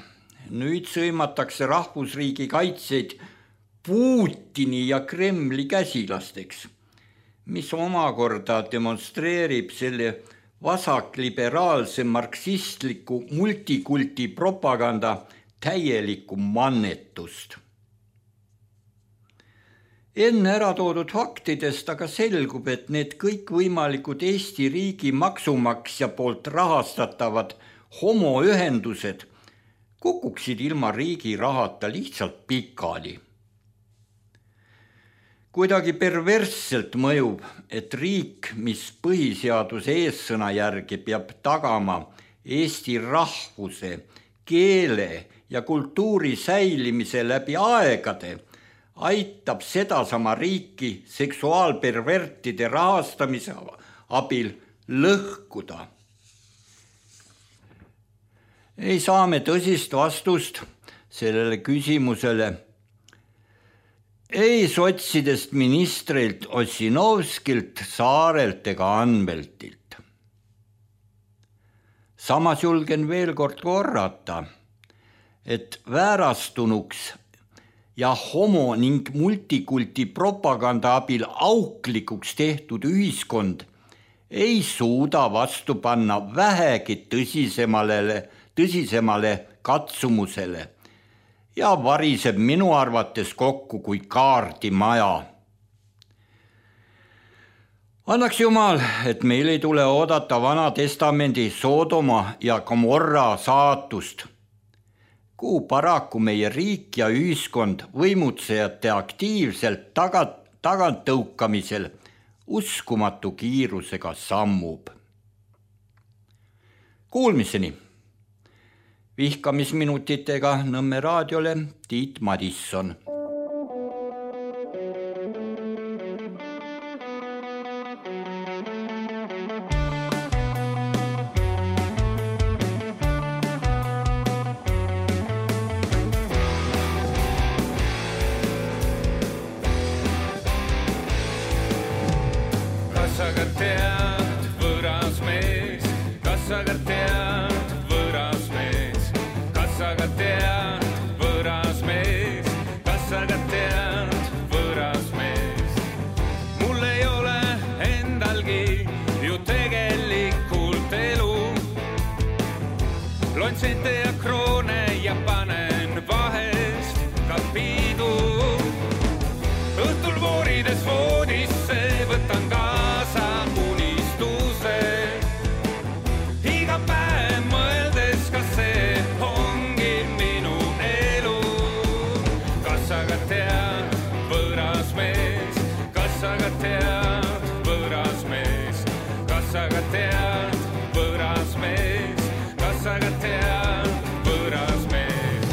D: Nüüd sõimatakse rahvusriigi kaitseid Putini ja Kremli käsilasteks, mis omakorda demonstreerib selle vasakliberaalse marksistliku multikulti propaganda täielikku mannetust. Enne ära toodud faktidest aga selgub, et need kõikvõimalikud Eesti riigi maksumaksja poolt rahastatavad homoühendused kukuksid ilma riigi rahata lihtsalt pikali. Kuidagi perversselt mõjub, et riik, mis põhiseaduse eessõna järgi peab tagama Eesti rahvuse, keele ja kultuuri säilimise läbi aegade, aitab sedasama riiki seksuaalpervertide rahastamise abil lõhkuda. Ei saa me tõsist vastust sellele küsimusele ei sotsidest ministrilt Ossinovskilt, Saarelt ega Anveltilt. Samas julgen veel kord korrata, et väärastunuks ja homo ning multikulti propaganda abil auklikuks tehtud ühiskond ei suuda vastu panna vähegi tõsisemale, tõsisemale katsumusele ja variseb minu arvates kokku kui kaardimaja. Annaks Jumal, et meil ei tule oodata Vana Testamendi Sodoma ja Gomorra saatust, kuhu paraku meie riik ja ühiskond võimutsejate aktiivselt tagant, tagant tõukamisel uskumatu kiirusega sammub. Kuulmiseni! Vihkamisminutitega Nõmme raadiole Tiit Madisson.
E: Kas aga tead, võõras mees, kas aga tead, võõras mees, kas aga tead, võõras mees, kas aga tead, võõras mees. Mul ei ole endalgi ju tegelikult elu. Loen sente ja kroone ja panen vahest ka piidu. Õhtul voorides voodisse võtan kaasa unistuse. Iga päev mõeldes, kas see ongi minu elu. Kas aga tead, võõras mees, kas aga tead, võõras mees, kas aga tead, võõras mees, kas aga tead, võõras mees.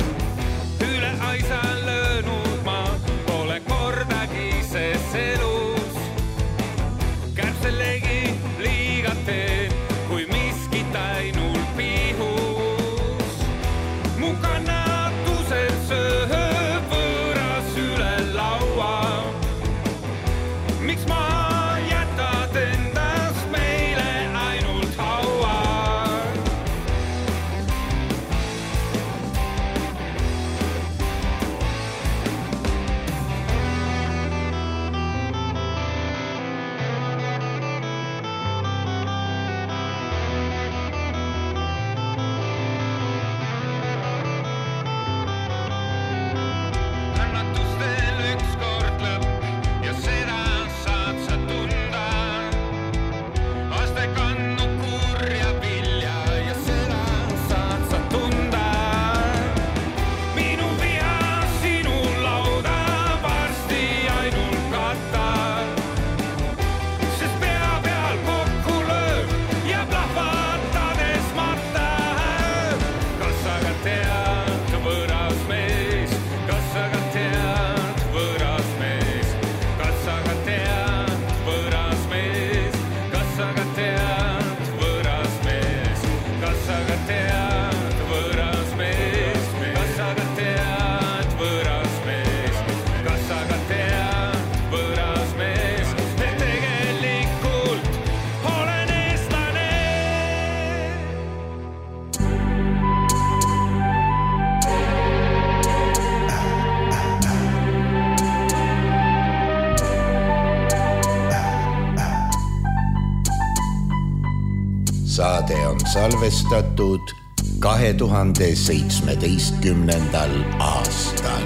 C: salvestatud kahe tuhande seitsmeteistkümnendal aastal.